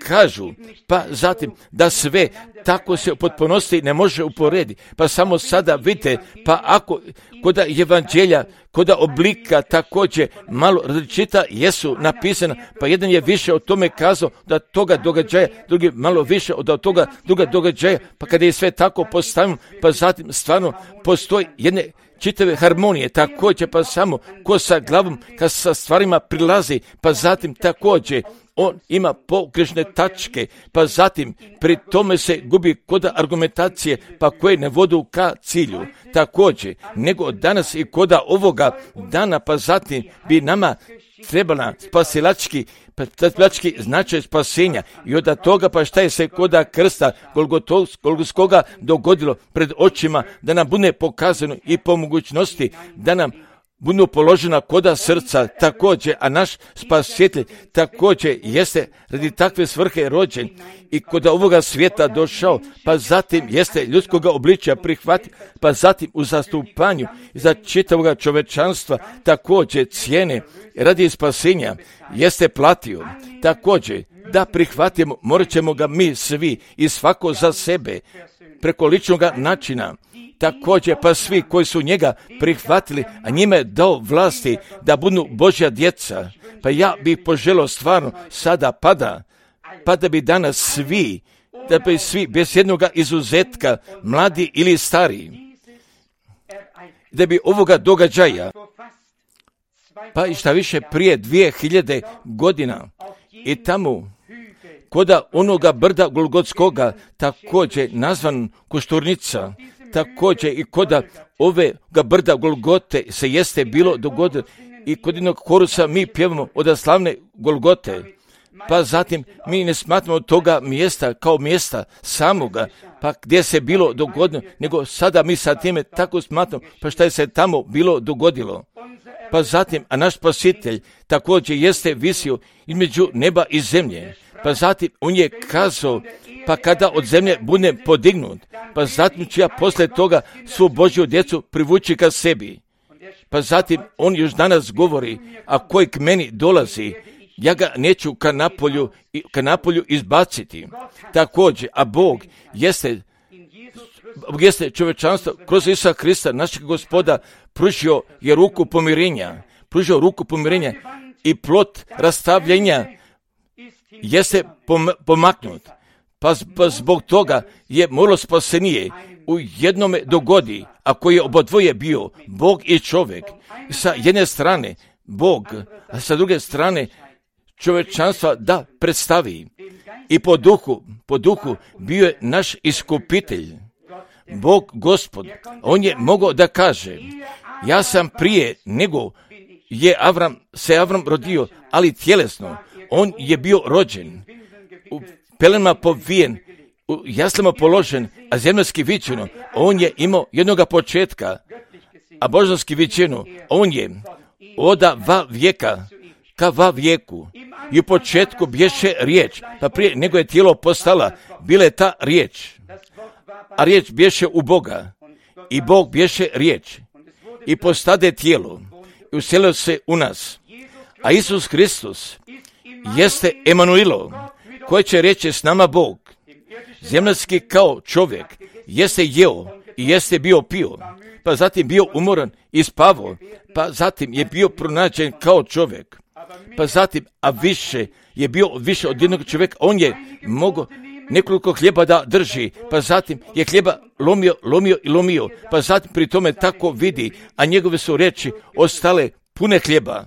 kažu, pa zatim da sve tako se u potpunosti ne može uporediti, pa samo sada vidite, pa ako koda evanđelja, koda oblika također malo različita jesu napisana, pa jedan je više o tome kazao da toga događaja, drugi malo više od toga druga događaja, pa kada je sve tako postavljeno, pa zatim stvarno postoji jedne čitave harmonije, također pa samo ko sa glavom, kad sa stvarima prilazi, pa zatim također on ima pogrešne tačke, pa zatim pri tome se gubi koda argumentacije, pa koje ne vodu ka cilju. Također, nego danas i koda ovoga dana, pa zatim bi nama trebala spasilački značaj spasenja i od toga pa šta je se koda krsta Golgotskoga dogodilo pred očima, da nam bude pokazano i po mogućnosti da nam budu položena koda srca također, a naš spasitelj također jeste radi takve svrhe rođen i koda ovoga svijeta došao, pa zatim jeste ljudskoga obličja prihvatio, pa zatim u zastupanju za čitavoga čovečanstva također cijene radi spasenja jeste platio. Također da prihvatimo, morat ćemo ga mi svi i svako za sebe preko ličnog načina. Također pa svi koji su njega prihvatili, a njime je dao vlasti da budu Božja djeca. Pa ja bih poželio stvarno sada pa da bi danas svi, da bi svi bez jednog izuzetka, mladi ili stari, da bi ovoga događaja, pa i šta više prije 2000 godina i tamo koda onoga brda Golgotskoga također nazvan Košturnica, također i koda ovega brda Golgote se jeste bilo dogodilo i kod jednog korusa mi pjevamo od slavne Golgote, pa zatim mi ne smatramo toga mjesta kao mjesta samoga, pa gdje se bilo dogodilo, nego sada mi sa time tako smatramo, pa šta je se tamo bilo dogodilo. Pa zatim, a naš spasitelj također jeste visio između neba i zemlje, pa zatim on je kazao, pa kada od zemlje budem podignut, pa zatim ću ja poslije toga svu Božju djecu privući ka sebi. Pa zatim on još danas govori, a koji k meni dolazi, ja ga neću ka napolju izbaciti. Također, a Bog jeste čovječanstvo kroz Isusa Krista, našeg Gospoda, pružio ruku pomirenja i plot rastavljenja jeste pomaknut. Pa zbog toga je moralo spasenije u jednome dogodi, ako je obodvoje bio Bog i čovjek. Sa jedne strane Bog, a sa druge strane čovječanstva da predstavi. I po duhu bio je naš iskupitelj, Bog Gospod. On je mogao da kaže, ja sam prije nego je Avram rodio, ali tjelesno, on je bio rođen, u pelenama povijen, u jaslama položen, a zemaljski viđeno, on je imao jednoga početka, a božanski viđeno, on je oda va vijeka ka va vijeku. I u početku bješe riječ, pa prije nego je tijelo postala, bila je ta riječ. a riječ bješe u Boga, i Bog bješe riječ, i postade tijelo, i uselio se u nas. A Isus Hristos jeste Emanuilo, koji će reći s nama Bog. Zemaljski kao čovjek jeste jeo i jeste bio pio, pa zatim bio umoran i spavao, pa zatim je bio pronađen kao čovjek, pa zatim, a više je bio više od jednog čovjeka, on je mogao nekoliko hljeba da drži, pa zatim je hljeba lomio, pa zatim pri tome tako vidi, a njegove su riječi ostale pune hljeba,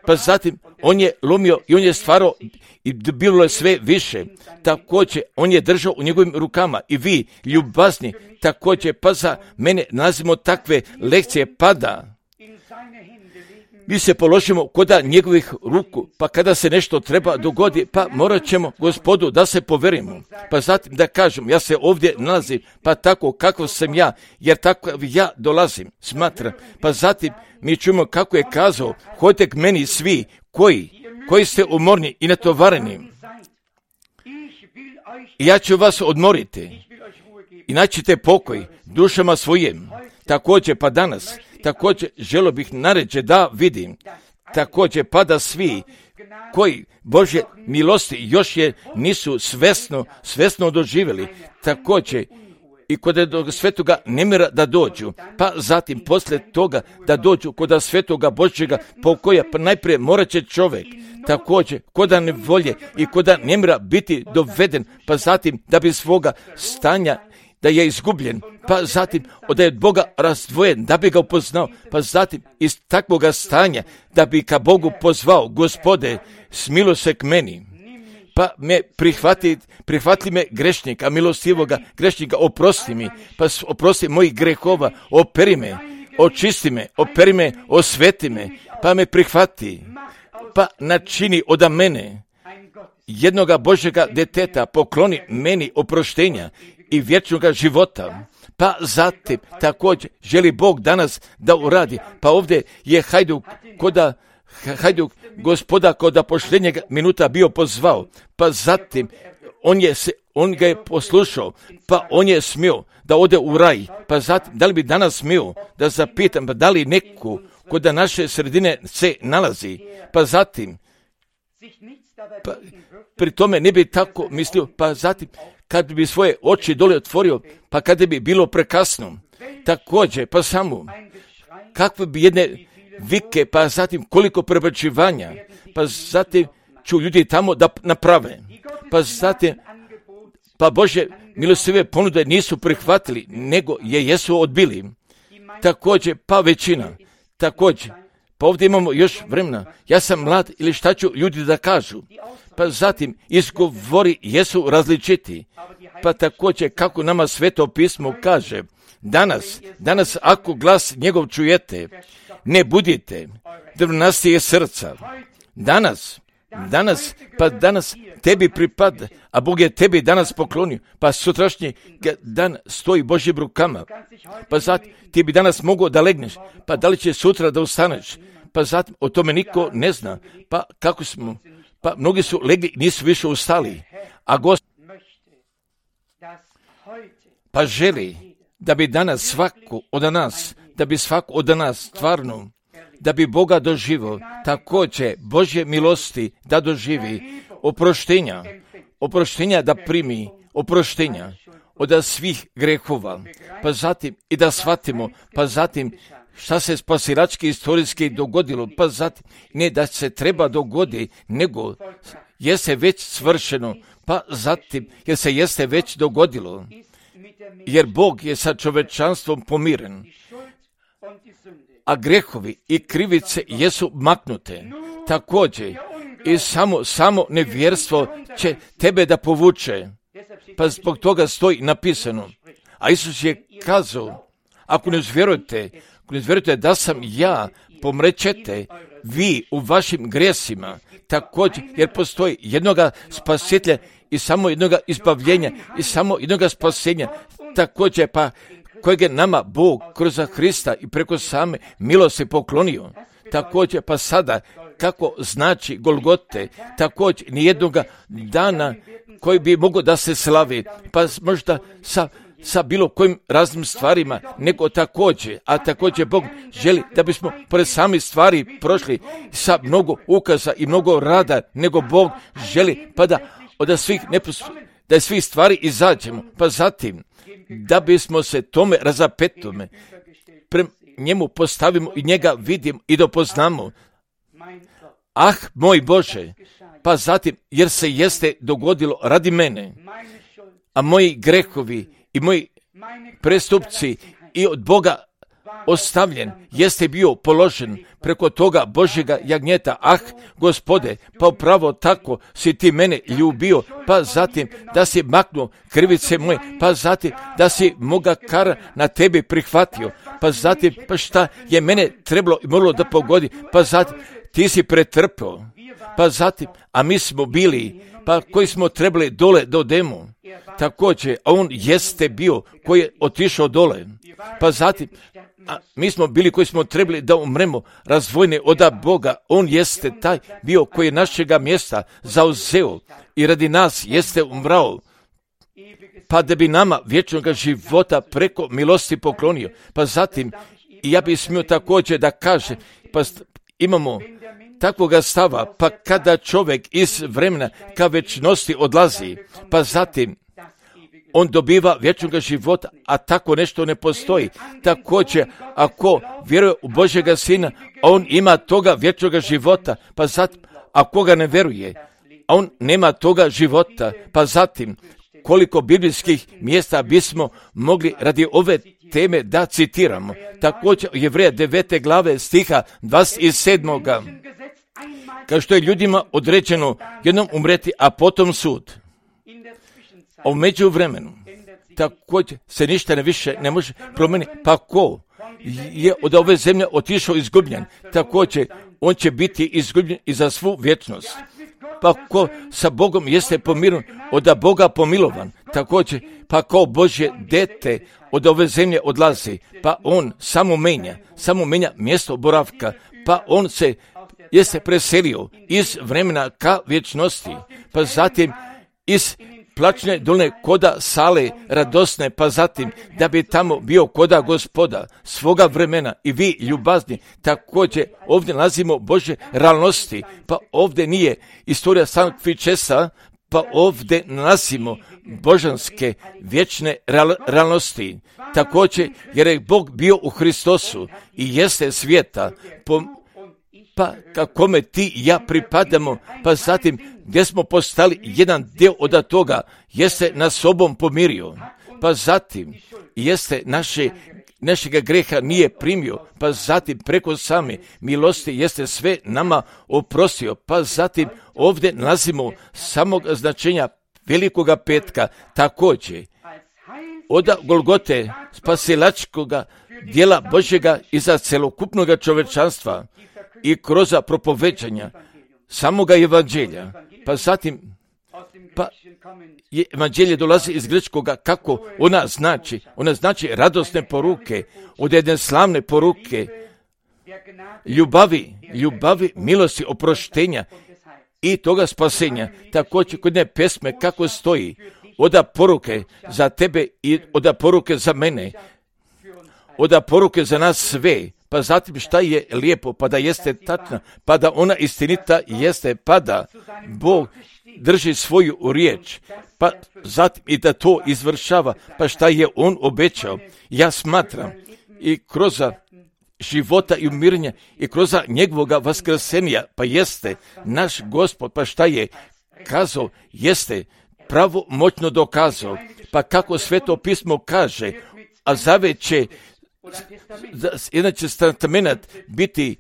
pa zatim on je lomio i on je stvarao i bilo je sve više. Također on je držao u njegovim rukama i vi, ljubazni, također pa za mene nazivamo takve lekcije pada. Mi se položimo koda njegovih ruku, pa kada se nešto treba dogodi, pa morat ćemo Gospodu da se poverimo, pa zatim da kažem, ja se ovdje nalazim, pa tako kako sam ja, jer tako ja dolazim, smatram, pa zatim mi čujemo kako je kazao, hodite k meni svi koji ste umorni i natovareni, i ja ću vas odmoriti i naćite pokoj dušama svojim. Također pa danas, također želio bih naređe da vidim, također pa da svi koji Božje milosti još je nisu svesno doživjeli, također i kod svetoga nemira da dođu, pa zatim poslije toga da dođu kod svetoga Božjega pokoja, pa najprije morat će čovjek također koda nevolje i koda nemira biti doveden, pa zatim da bi svoga stanja da je izgubljen, pa zatim da je od Boga razdvojen, da bi ga upoznao, pa zatim iz takvoga stanja da bi ka Bogu pozvao, Gospode, smilo se k meni, pa me prihvati me grešnika, milostivoga grešnika, oprosti mi, pa oprosti mojih grehova, operi me, očisti me, operi me, osveti me, pa me prihvati, pa načini od mene jednoga Božjega deteta, pokloni meni oproštenja i vječnoga života. Pa zatim također želi Bog danas da uradi, pa ovdje je Hajduk Gospoda koda pošljenjeg minuta bio pozvao, pa zatim on ga je poslušao, pa on je smio da ode u raj, pa zatim da li bi danas smio da zapitam, pa da li neku kod naše sredine se nalazi, pa zatim pa, pri tome ne bi tako mislio, pa zatim kad bi svoje oči dole otvorio, pa kada bi bilo prekasno, također pa samo kakve bi jedne vike, pa zatim koliko prebačivanja, pa zatim ću ljudi tamo da naprave, pa zatim pa Bože milostive ponude nisu prihvatili, nego jesu odbili, također pa većina, također pa ovdje imamo još vremena, ja sam mlad ili šta ću ljudi da kažu, pa zatim izgovori jesu različiti, pa također kako nama Sveto pismo kaže, danas ako glas njegov čujete, ne budite drvnastije srca, danas tebi pripada, a Bog je tebi danas poklonio, pa sutrašnji dan stoji Božjim rukama, pa zatim ti bi danas mogao da legneš, pa da li će sutra da ustaneš, pa zatim o tome niko ne zna, pa kako smo, pa mnogi su legli, nisu više ustali, a Gospod pa želi da bi danas svako od nas stvarno, da bi Boga doživio, također Božje milosti da doživi, oproštenja da primi, oproštenja od svih grehova, pa zatim i da shvatimo, pa zatim šta se spasilački istorijski dogodilo, pa zatim ne da se treba dogodi, nego je se već svršeno, pa zatim jer se jeste već dogodilo, jer Bog je sa čovečanstvom pomiren, a grehovi i krivice jesu maknute. Također i samo nevjerstvo će tebe da povuče, pa zbog toga stoji napisano. A Isus je kazao, ako ne vjerujete da sam ja, pomrećete vi u vašim grijesima, također jer postoji jednoga spasitelja i samo jednoga izbavljenja i samo jednoga spasenja, također pa kojeg je nama Bog kroz Hrista i preko same milosti poklonio. Također pa sada kako znači Golgote, također nijednoga dana koji bi mogao da se slavi, pa možda sa sa bilo kojim raznim stvarima, nego također Bog želi da bismo pored samih stvari prošli sa mnogo ukaza i mnogo rada, nego Bog želi pa da svih stvari izađemo, pa zatim da bismo se tome razapetome prema njemu postavimo i njega vidimo i dopoznamo. Ah, moj Bože, pa zatim, jer se jeste dogodilo radi mene, a moji grehovi i moji prestupci i od Boga ostavljen, jeste bio položen preko toga Božjega jagnjeta. Ah, Gospode, pa upravo tako si ti mene ljubio, pa zatim da si maknuo krivice moje, pa zatim da si moga kara na tebi prihvatio, pa zatim, pa šta je mene trebalo i moralo da pogodi, pa zatim ti si pretrpeo, pa zatim, a mi smo bili, pa koji smo trebali dole da odemo, također, a on jeste bio koji je otišao dole, pa zatim, a mi smo bili koji smo trebali da umremo razvojne od Boga, on jeste taj bio koji je našega mjesta zauzeo i radi nas jeste umrao, pa da bi nama vječnog života preko milosti poklonio, pa zatim, i ja bih smio također da kaže, pa imamo takvoga stava, pa kada čovjek iz vremena ka večnosti odlazi, pa zatim on dobiva vječnog života, a tako nešto ne postoji. Također, ako vjeruje u Božjega Sina, on ima toga vječnog života, pa zatim, ako ga ne vjeruje, on nema toga života, pa zatim, koliko biblijskih mjesta bismo mogli radi ove teme da citiramo. Također, Jevreja 9. glave stiha 27. Kao što je ljudima određeno jednom umreti, a potom sud. A u međuvremenu također se ništa više ne može promijeniti. Pa ko je od ove zemlje otišao izgubljen, također on će biti izgubljen i za svu vječnost. Pa ko sa Bogom jeste pomiren, od Boga pomilovan, također pa kao Božje dete od ove zemlje odlazi, pa on samo menja mjesto boravka, pa on se jeste preselio iz vremena ka vječnosti, pa zatim iz plačne dolne koda sale radosne, pa zatim da bi tamo bio koda Gospoda svoga vremena. I vi ljubazni također ovdje nalazimo Božje realnosti, pa ovdje nije istorija Sankt Fičesa, pa ovdje nalazimo božanske vječne realnosti. Također jer je Bog bio u Hristosu i jeste svijeta, pa kakome ti i ja pripadamo, pa zatim gdje smo postali jedan dio od toga, jeste nas sobom pomirio, pa zatim jeste našega greha nije primio, pa zatim preko same milosti jeste sve nama oprostio, pa zatim ovdje nalazimo samog značenja velikoga petka, također od Golgote spasilačkoga dijela Božjega i za celokupnoga čovečanstva i kroz propoveđanja samoga evanđelja, pa zatim evanđelje dolazi iz grčkoga, kako ona znači radosne poruke, od jedne slavne poruke, ljubavi, milosti, oproštenja i toga spasenja. Također kod jedne pesme kako stoji, oda poruke za tebe i oda poruke za mene, oda poruke za nas sve, pa zatim šta je lijepo, pa da jeste tačna, pa da ona istinita jeste, pa da Bog drži svoju riječ, pa zatim i da to izvršava, pa šta je on obećao. Ja smatram i kroz života i umirenja i kroz njegovoga vaskrsenja, pa jeste naš Gospod, pa šta je kazao, jeste pravomoćno dokazao, pa kako Sveto pismo kaže, a zavet će jedan će testament biti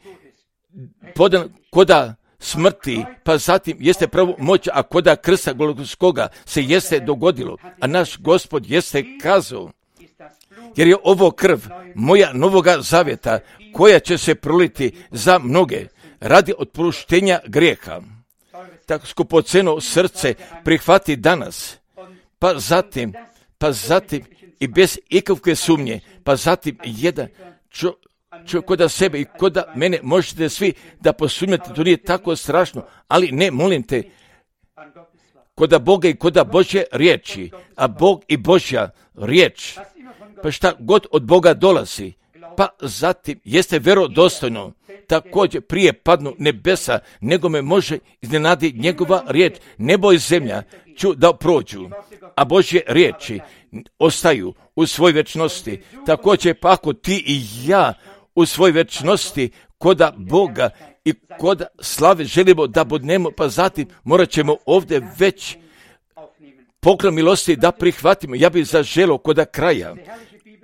podan koda smrti, pa zatim jeste pravo moć, a koda krsta Golgotskoga se jeste dogodilo, a naš Gospod jeste kazao, jer je ovo krv moja novoga zavjeta, koja će se proliti za mnoge radi otpuštenja grijeha. Tako skupoceno srce prihvati danas, pa zatim i bez ikakve sumnje, pa zatim jedan koda sebe i koda mene možete svi da posumnjate, to nije tako strašno, ali ne, molim te, koda Boga i koda Božje riječi, a Bog i Božja riječ, pa šta god od Boga dolazi, pa zatim jeste vjerodostojno, također prije padnu nebesa, nego me može iznenadi njegova riječ. Nebo i zemlja ću da prođu, a Božje riječi ostaju u svoj vječnosti. Također pa ako ti i ja u svoj vječnosti koda Boga i koda slave želimo da budemo, pa zatim morat ćemo ovdje već poklon milosti da prihvatimo. Ja bih zaželio koda kraja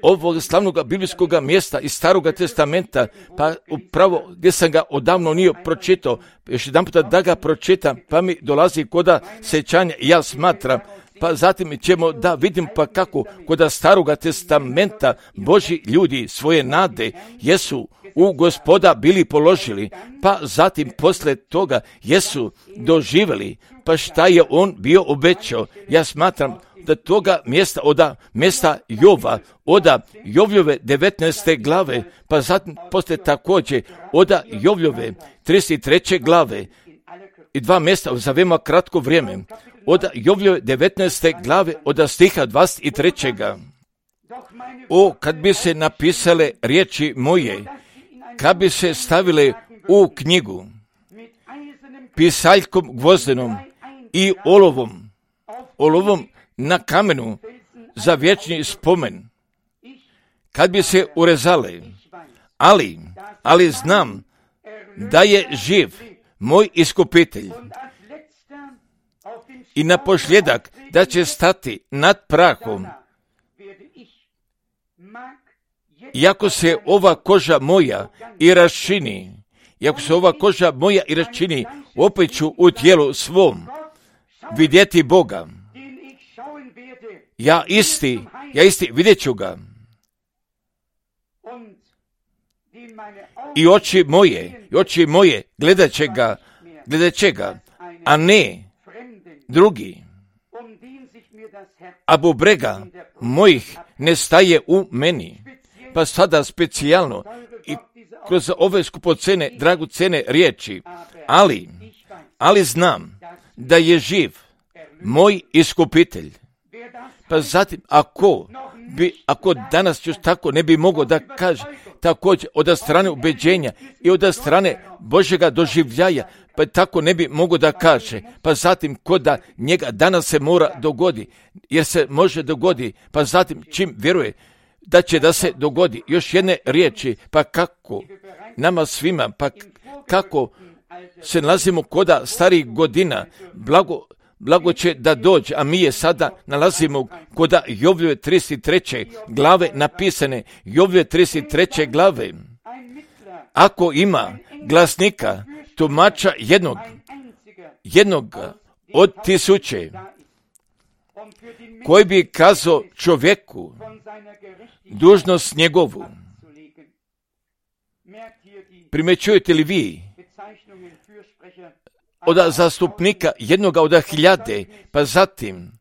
ovog slavnog biblijskog mjesta iz Staroga testamenta, pa upravo gdje sam ga odavno nije pročitao, još jedan puta da ga pročitam, pa mi dolazi koda sećanja i ja smatram, pa zatim ćemo da vidim pa kako koda Staroga testamenta Božji ljudi svoje nade jesu u Gospoda bili položili, pa zatim posle toga jesu doživjeli, pa šta je on bio obećao. Ja smatram da toga mjesta, oda mjesta Jova, oda Jovljove 19. glave, pa zatim posle također oda Jovljove 33. glave i dva mjesta za veoma kratko vrijeme, oda Jovljove 19. glave, oda stiha 23. O, kad bi se napisale riječi moje, kad bi se stavile u knjigu, pisaljkom gvozdenom i olovom na kamenu za vječni spomen, kad bi se urezale, ali znam da je živ moj iskupitelj i na posljedak da će stati nad prahom. Iako se ova koža moja i raščini, opet ću u tijelu svom vidjeti Boga. Ja isti vidjet ću ga. I oči moje gledat će ga, a ne drugi. A bubrega mojih ne staje u meni. Pa sada specijalno i kroz ove skupocene, dragocene riječi, ali znam da je živ moj iskupitelj. Pa zatim, ako danas još tako ne bi mogao da kaže, također od strane ubeđenja i od strane Božjega doživljaja, pa tako ne bi mogao da kaže, pa zatim koda njega danas se mora dogodi, jer se može dogodi, pa zatim čim vjeruje da će da se dogodi. Još jedne riječi, pa kako nama svima, pa kako se nalazimo koda starih godina, blago će da dođe, a mi je sada nalazimo koda Jovljove 33. glave napisane, Jovljove 33. glave. Ako ima glasnika, tumača jednog od 1000, koji bi kazao čovjeku dužnost njegovu. Primećujete li vi od zastupnika jednoga od 1000, pa zatim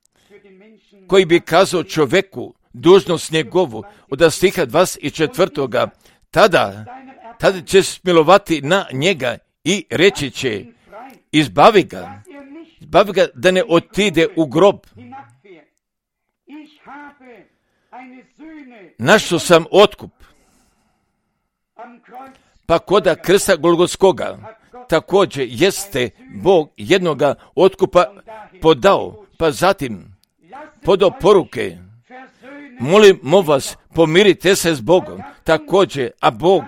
koji bi kazao čovjeku dužnost njegovu od stiha 24. Tada će smilovati na njega i reći će, izbavi ga da ne otide u grob. Našao sam otkup. Pa koda krsta Golgotskoga također jeste Bog jednoga otkupa podao, pa zatim podao poruke, molimo vas, pomirite se s Bogom, također, a Bog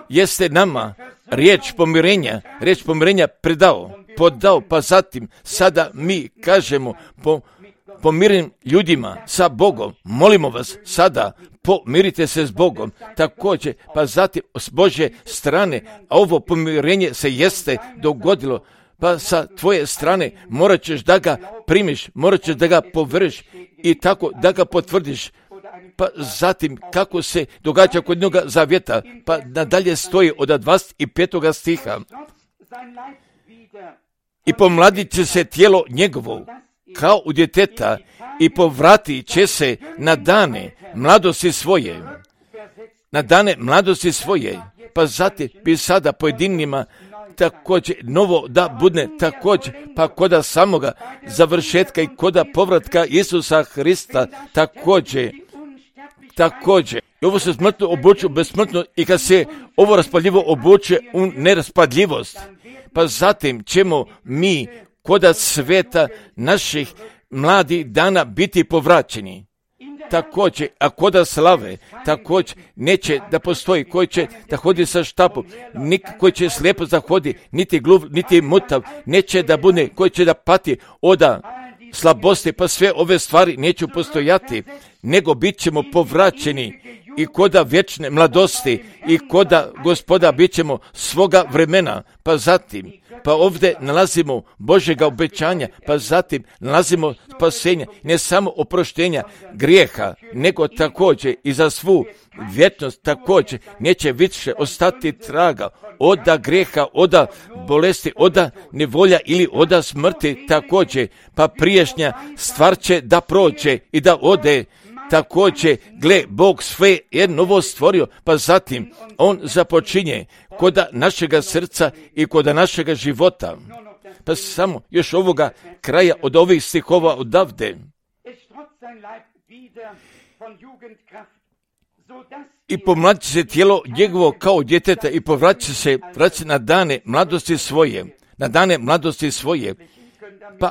jeste nama riječ pomirenja podao, pa zatim sada mi kažemo pomirim ljudima sa Bogom, molimo vas sada, pomirite se s Bogom, također, pa zatim s Božje strane, a ovo pomirenje se jeste dogodilo, pa sa tvoje strane morat ćeš da ga primiš, morat ćeš da ga poveriš i tako da ga potvrdiš. Pa zatim kako se događa kod njega zavjeta, pa nadalje stoji od 25. stiha. I pomladit će se tijelo njegovo kao u djeteta i povratit će se na dane mladosti svoje. Pa zatim bi sada pojedinima također novo da bude također, pa koda samoga završetka i koda povratka Isusa Hrista također. I ovo se smrtno obuče u besmrtno i kad se ovo raspaljivo obuče u neraspadljivost, pa zatim ćemo mi koda sveta naših mladih dana biti povraćeni. Također, a koda slave, također neće da postoji koji će da hodi sa štapom, koji će slijepo zahodi, niti gluv, niti mutav, neće da bude, koji će da pati oda slabosti, pa sve ove stvari neće postojati, nego bit ćemo povraćeni i koda vječne mladosti i koda Gospoda bit ćemo svoga vremena, pa zatim, pa ovdje nalazimo Božjega obećanja, pa zatim nalazimo spasenja, ne samo oproštenja grijeha, nego također i za svu vječnost također neće više ostati traga oda grijeha, oda bolesti, oda nevolja ili oda smrti također, pa priješnja stvar će da prođe i da ode. Također, gle, Bog sve je novo stvorio, pa zatim On započinje koda našega srca i koda našega života. Pa samo još ovoga kraja od ovih stihova odavde. I pomlađi se tijelo njegovo kao djeteta i povraća se na dane mladosti svoje. Pa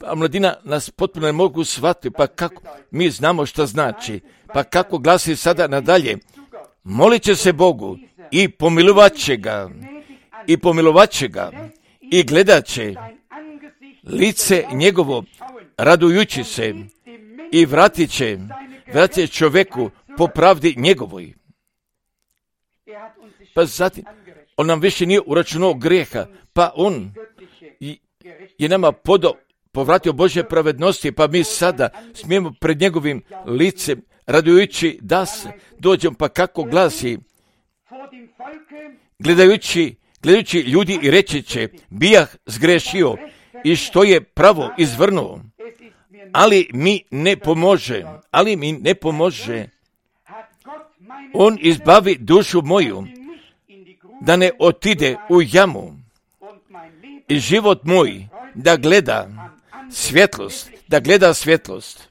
omladina nas potpuno ne mogu shvatiti, pa kako mi znamo što znači, pa kako glasi sada nadalje. Molit će se Bogu i pomilovat će ga i gledat će lice njegovo radujući se i vratit će čovjeku po pravdi njegovoj. Pa zatim, on nam više nije uračunao grijeha, pa on je nama povratio Božje pravednosti, pa mi sada smijemo pred njegovim licem radujući da se dođemo, pa kako glasi, gledajući ljudi i reći će, bijah zgrešio i što je pravo izvrnuo, ali mi ne pomože. On izbavi dušu moju da ne otide u jamu i život moj da gleda svjetlost.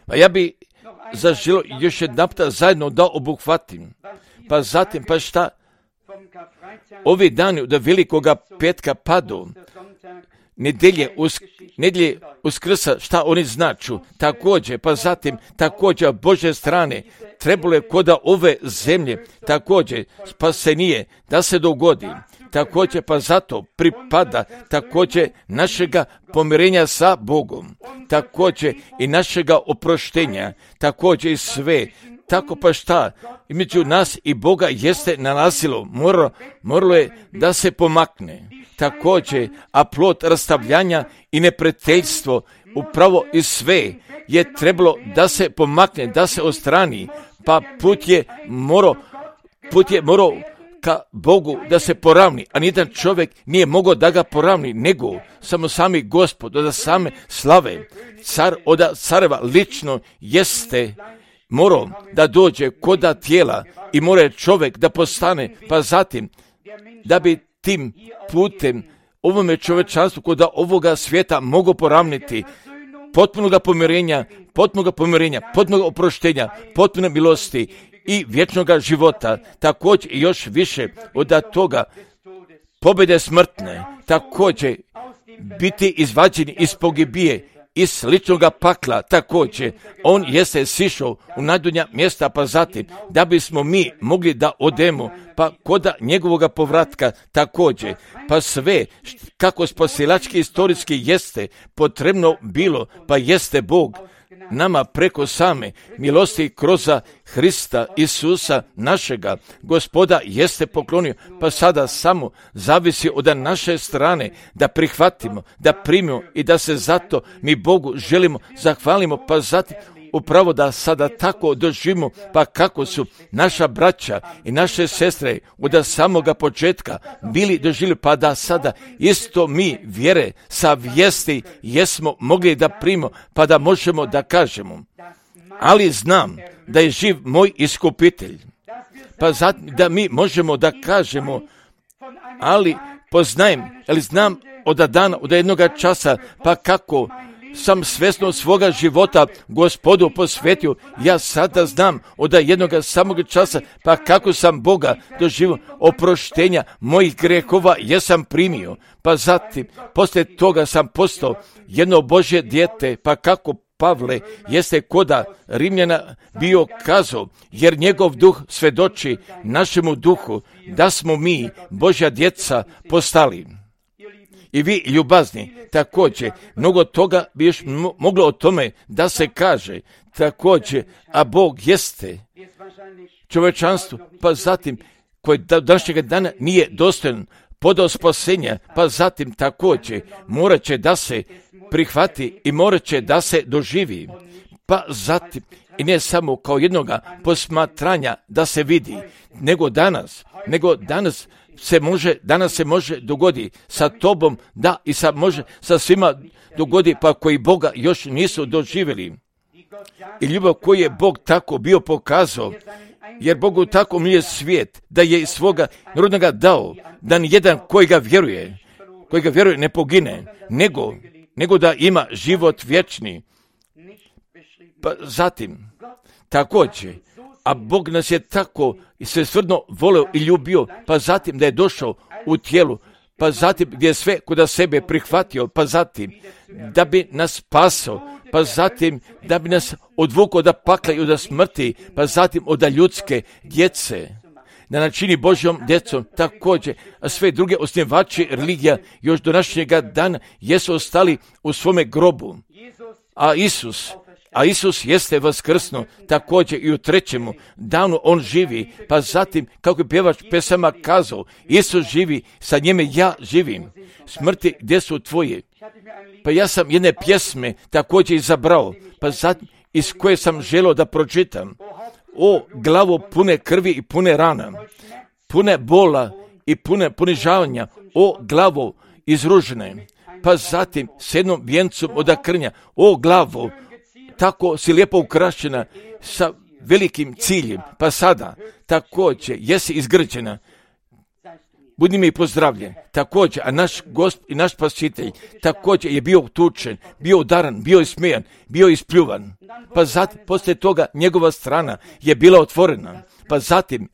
Pa ja bi zaželio još jednapta zajedno da obuhvatim. Pa zatim, pa šta? Ovi dani od velikoga petka padu, nedjelje Uskrsa, šta oni značu? Također, pa zatim, također Božje strane, trebalo je koda ove zemlje, također spasenije da se dogodi. Također, pa zato pripada također našega pomirenja sa Bogom, također i našega oproštenja, također i sve. Tako pa šta, između nas i Boga jeste nalazilo, moralo je da se pomakne. Također, a plod rastavljanja i neprijateljstvo, upravo i sve je trebalo da se pomakne, da se ostrani, pa put je morao ka Bogu da se poravni, a nijedan čovjek nije mogao da ga poravni, nego samo sami Gospod od same slave, car od careva lično jeste morao da dođe koda tijela i mora čovjek da postane, pa zatim da bi tim putem ovome čovječanstvu koda ovoga svijeta mogu poravniti potpunoga pomirenja, potpunog oproštenja, potpune milosti i vječnoga života, također i još više od toga pobjede smrtne, također biti izvađeni iz pogibije, iz sličnoga pakla, također on jeste sišao u najdonja mjesta, pa zatim da bismo mi mogli da odemo, pa koda njegovoga povratka također, pa sve kako spasilački istorijski jeste potrebno bilo, pa jeste Bog nama preko same milosti kroz Hrista Isusa našega Gospoda jeste poklonio, pa sada samo zavisi od naše strane da prihvatimo, da primimo i da se zato mi Bogu želimo zahvalimo, pa zatim upravo da sada tako doživimo, pa kako su naša braća i naše sestre od samoga početka bili doživjeli, pa da sada isto mi vjere sa vijesti jesmo mogli da primimo, pa da možemo da kažemo, ali znam da je živ moj iskupitelj pa zatim da mi možemo da kažemo, ali poznajem, ali znam od dana, od jednoga časa, pa kako sam svjesno svoga života Gospodu posvetio, ja sada znam od jednoga samog časa, pa kako sam Boga doživio, oproštenja mojih grehova jesam primio, pa zatim poslije toga sam postao jedno Božje dijete, pa kako Pavle jeste koda Rimljana bio kazao, jer njegov duh svedoči našemu duhu da smo mi Božja djeca postali. I vi ljubazni, također, mnogo toga bi još moglo o tome da se kaže, također, a Bog jeste čovječanstvo, pa zatim, koji do današnjega dana nije dostojan podao spasenja, pa zatim također morat će da se prihvati i morat će da se doživi, pa zatim i ne samo kao jednoga posmatranja da se vidi, nego danas se može dogodi sa tobom, da i može sa svima dogodi, pa koji Boga još nisu doživjeli. I ljubav koju je Bog tako bio pokazao, jer Bogu tako milije svijet, da je iz svoga narodnoga dao, da nijedan koji ga vjeruje ne pogine, nego da ima život vječni. Pa zatim, također, a Bog nas je tako i svesrdno voleo i ljubio, pa zatim da je došao u tijelu, pa zatim gdje je sve kuda sebe prihvatio, pa zatim da bi nas spasao, pa zatim da bi nas odvukao od pakla i od smrti, pa zatim od ljudske djece, da načini Božjom djecom. Također, a sve druge osnivači religija još do današnjega dana jesu ostali u svome grobu, a Isus jeste vaskrsnuo, također i u trećemu danu on živi, pa zatim, kako je pjevač pesama kazao, Isus živi, sa njime ja živim. Smrti, gdje su tvoje? Pa ja sam jedne pjesme također izabrao, pa zatim iz koje sam želio da pročitam. O glavo pune krvi i pune rana, pune bola i pune ponižavanja, o glavo izružene, pa zatim s jednom vijencom od krnja, o glavo, tako si lijepo ukrašena sa velikim ciljem, pa sada također jesi izgrđena. Budi mi pozdravljen. Također, a naš Gospod i naš Spasitelj također je bio tučen, bio udaran, bio ismijan, bio ispljuvan. Pa zatim, poslije toga, njegova strana je bila otvorena. Pa zatim,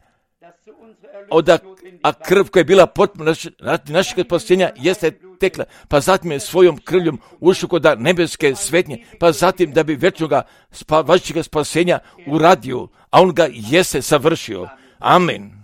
a krv koja je bila potpuno našeg spasenja jeste tekla, pa zatim je svojom krvljom ušao kod nebeske svetnje, pa zatim da bi večnoga vašega spasenja uradio, a on ga jeste savršio. Amen.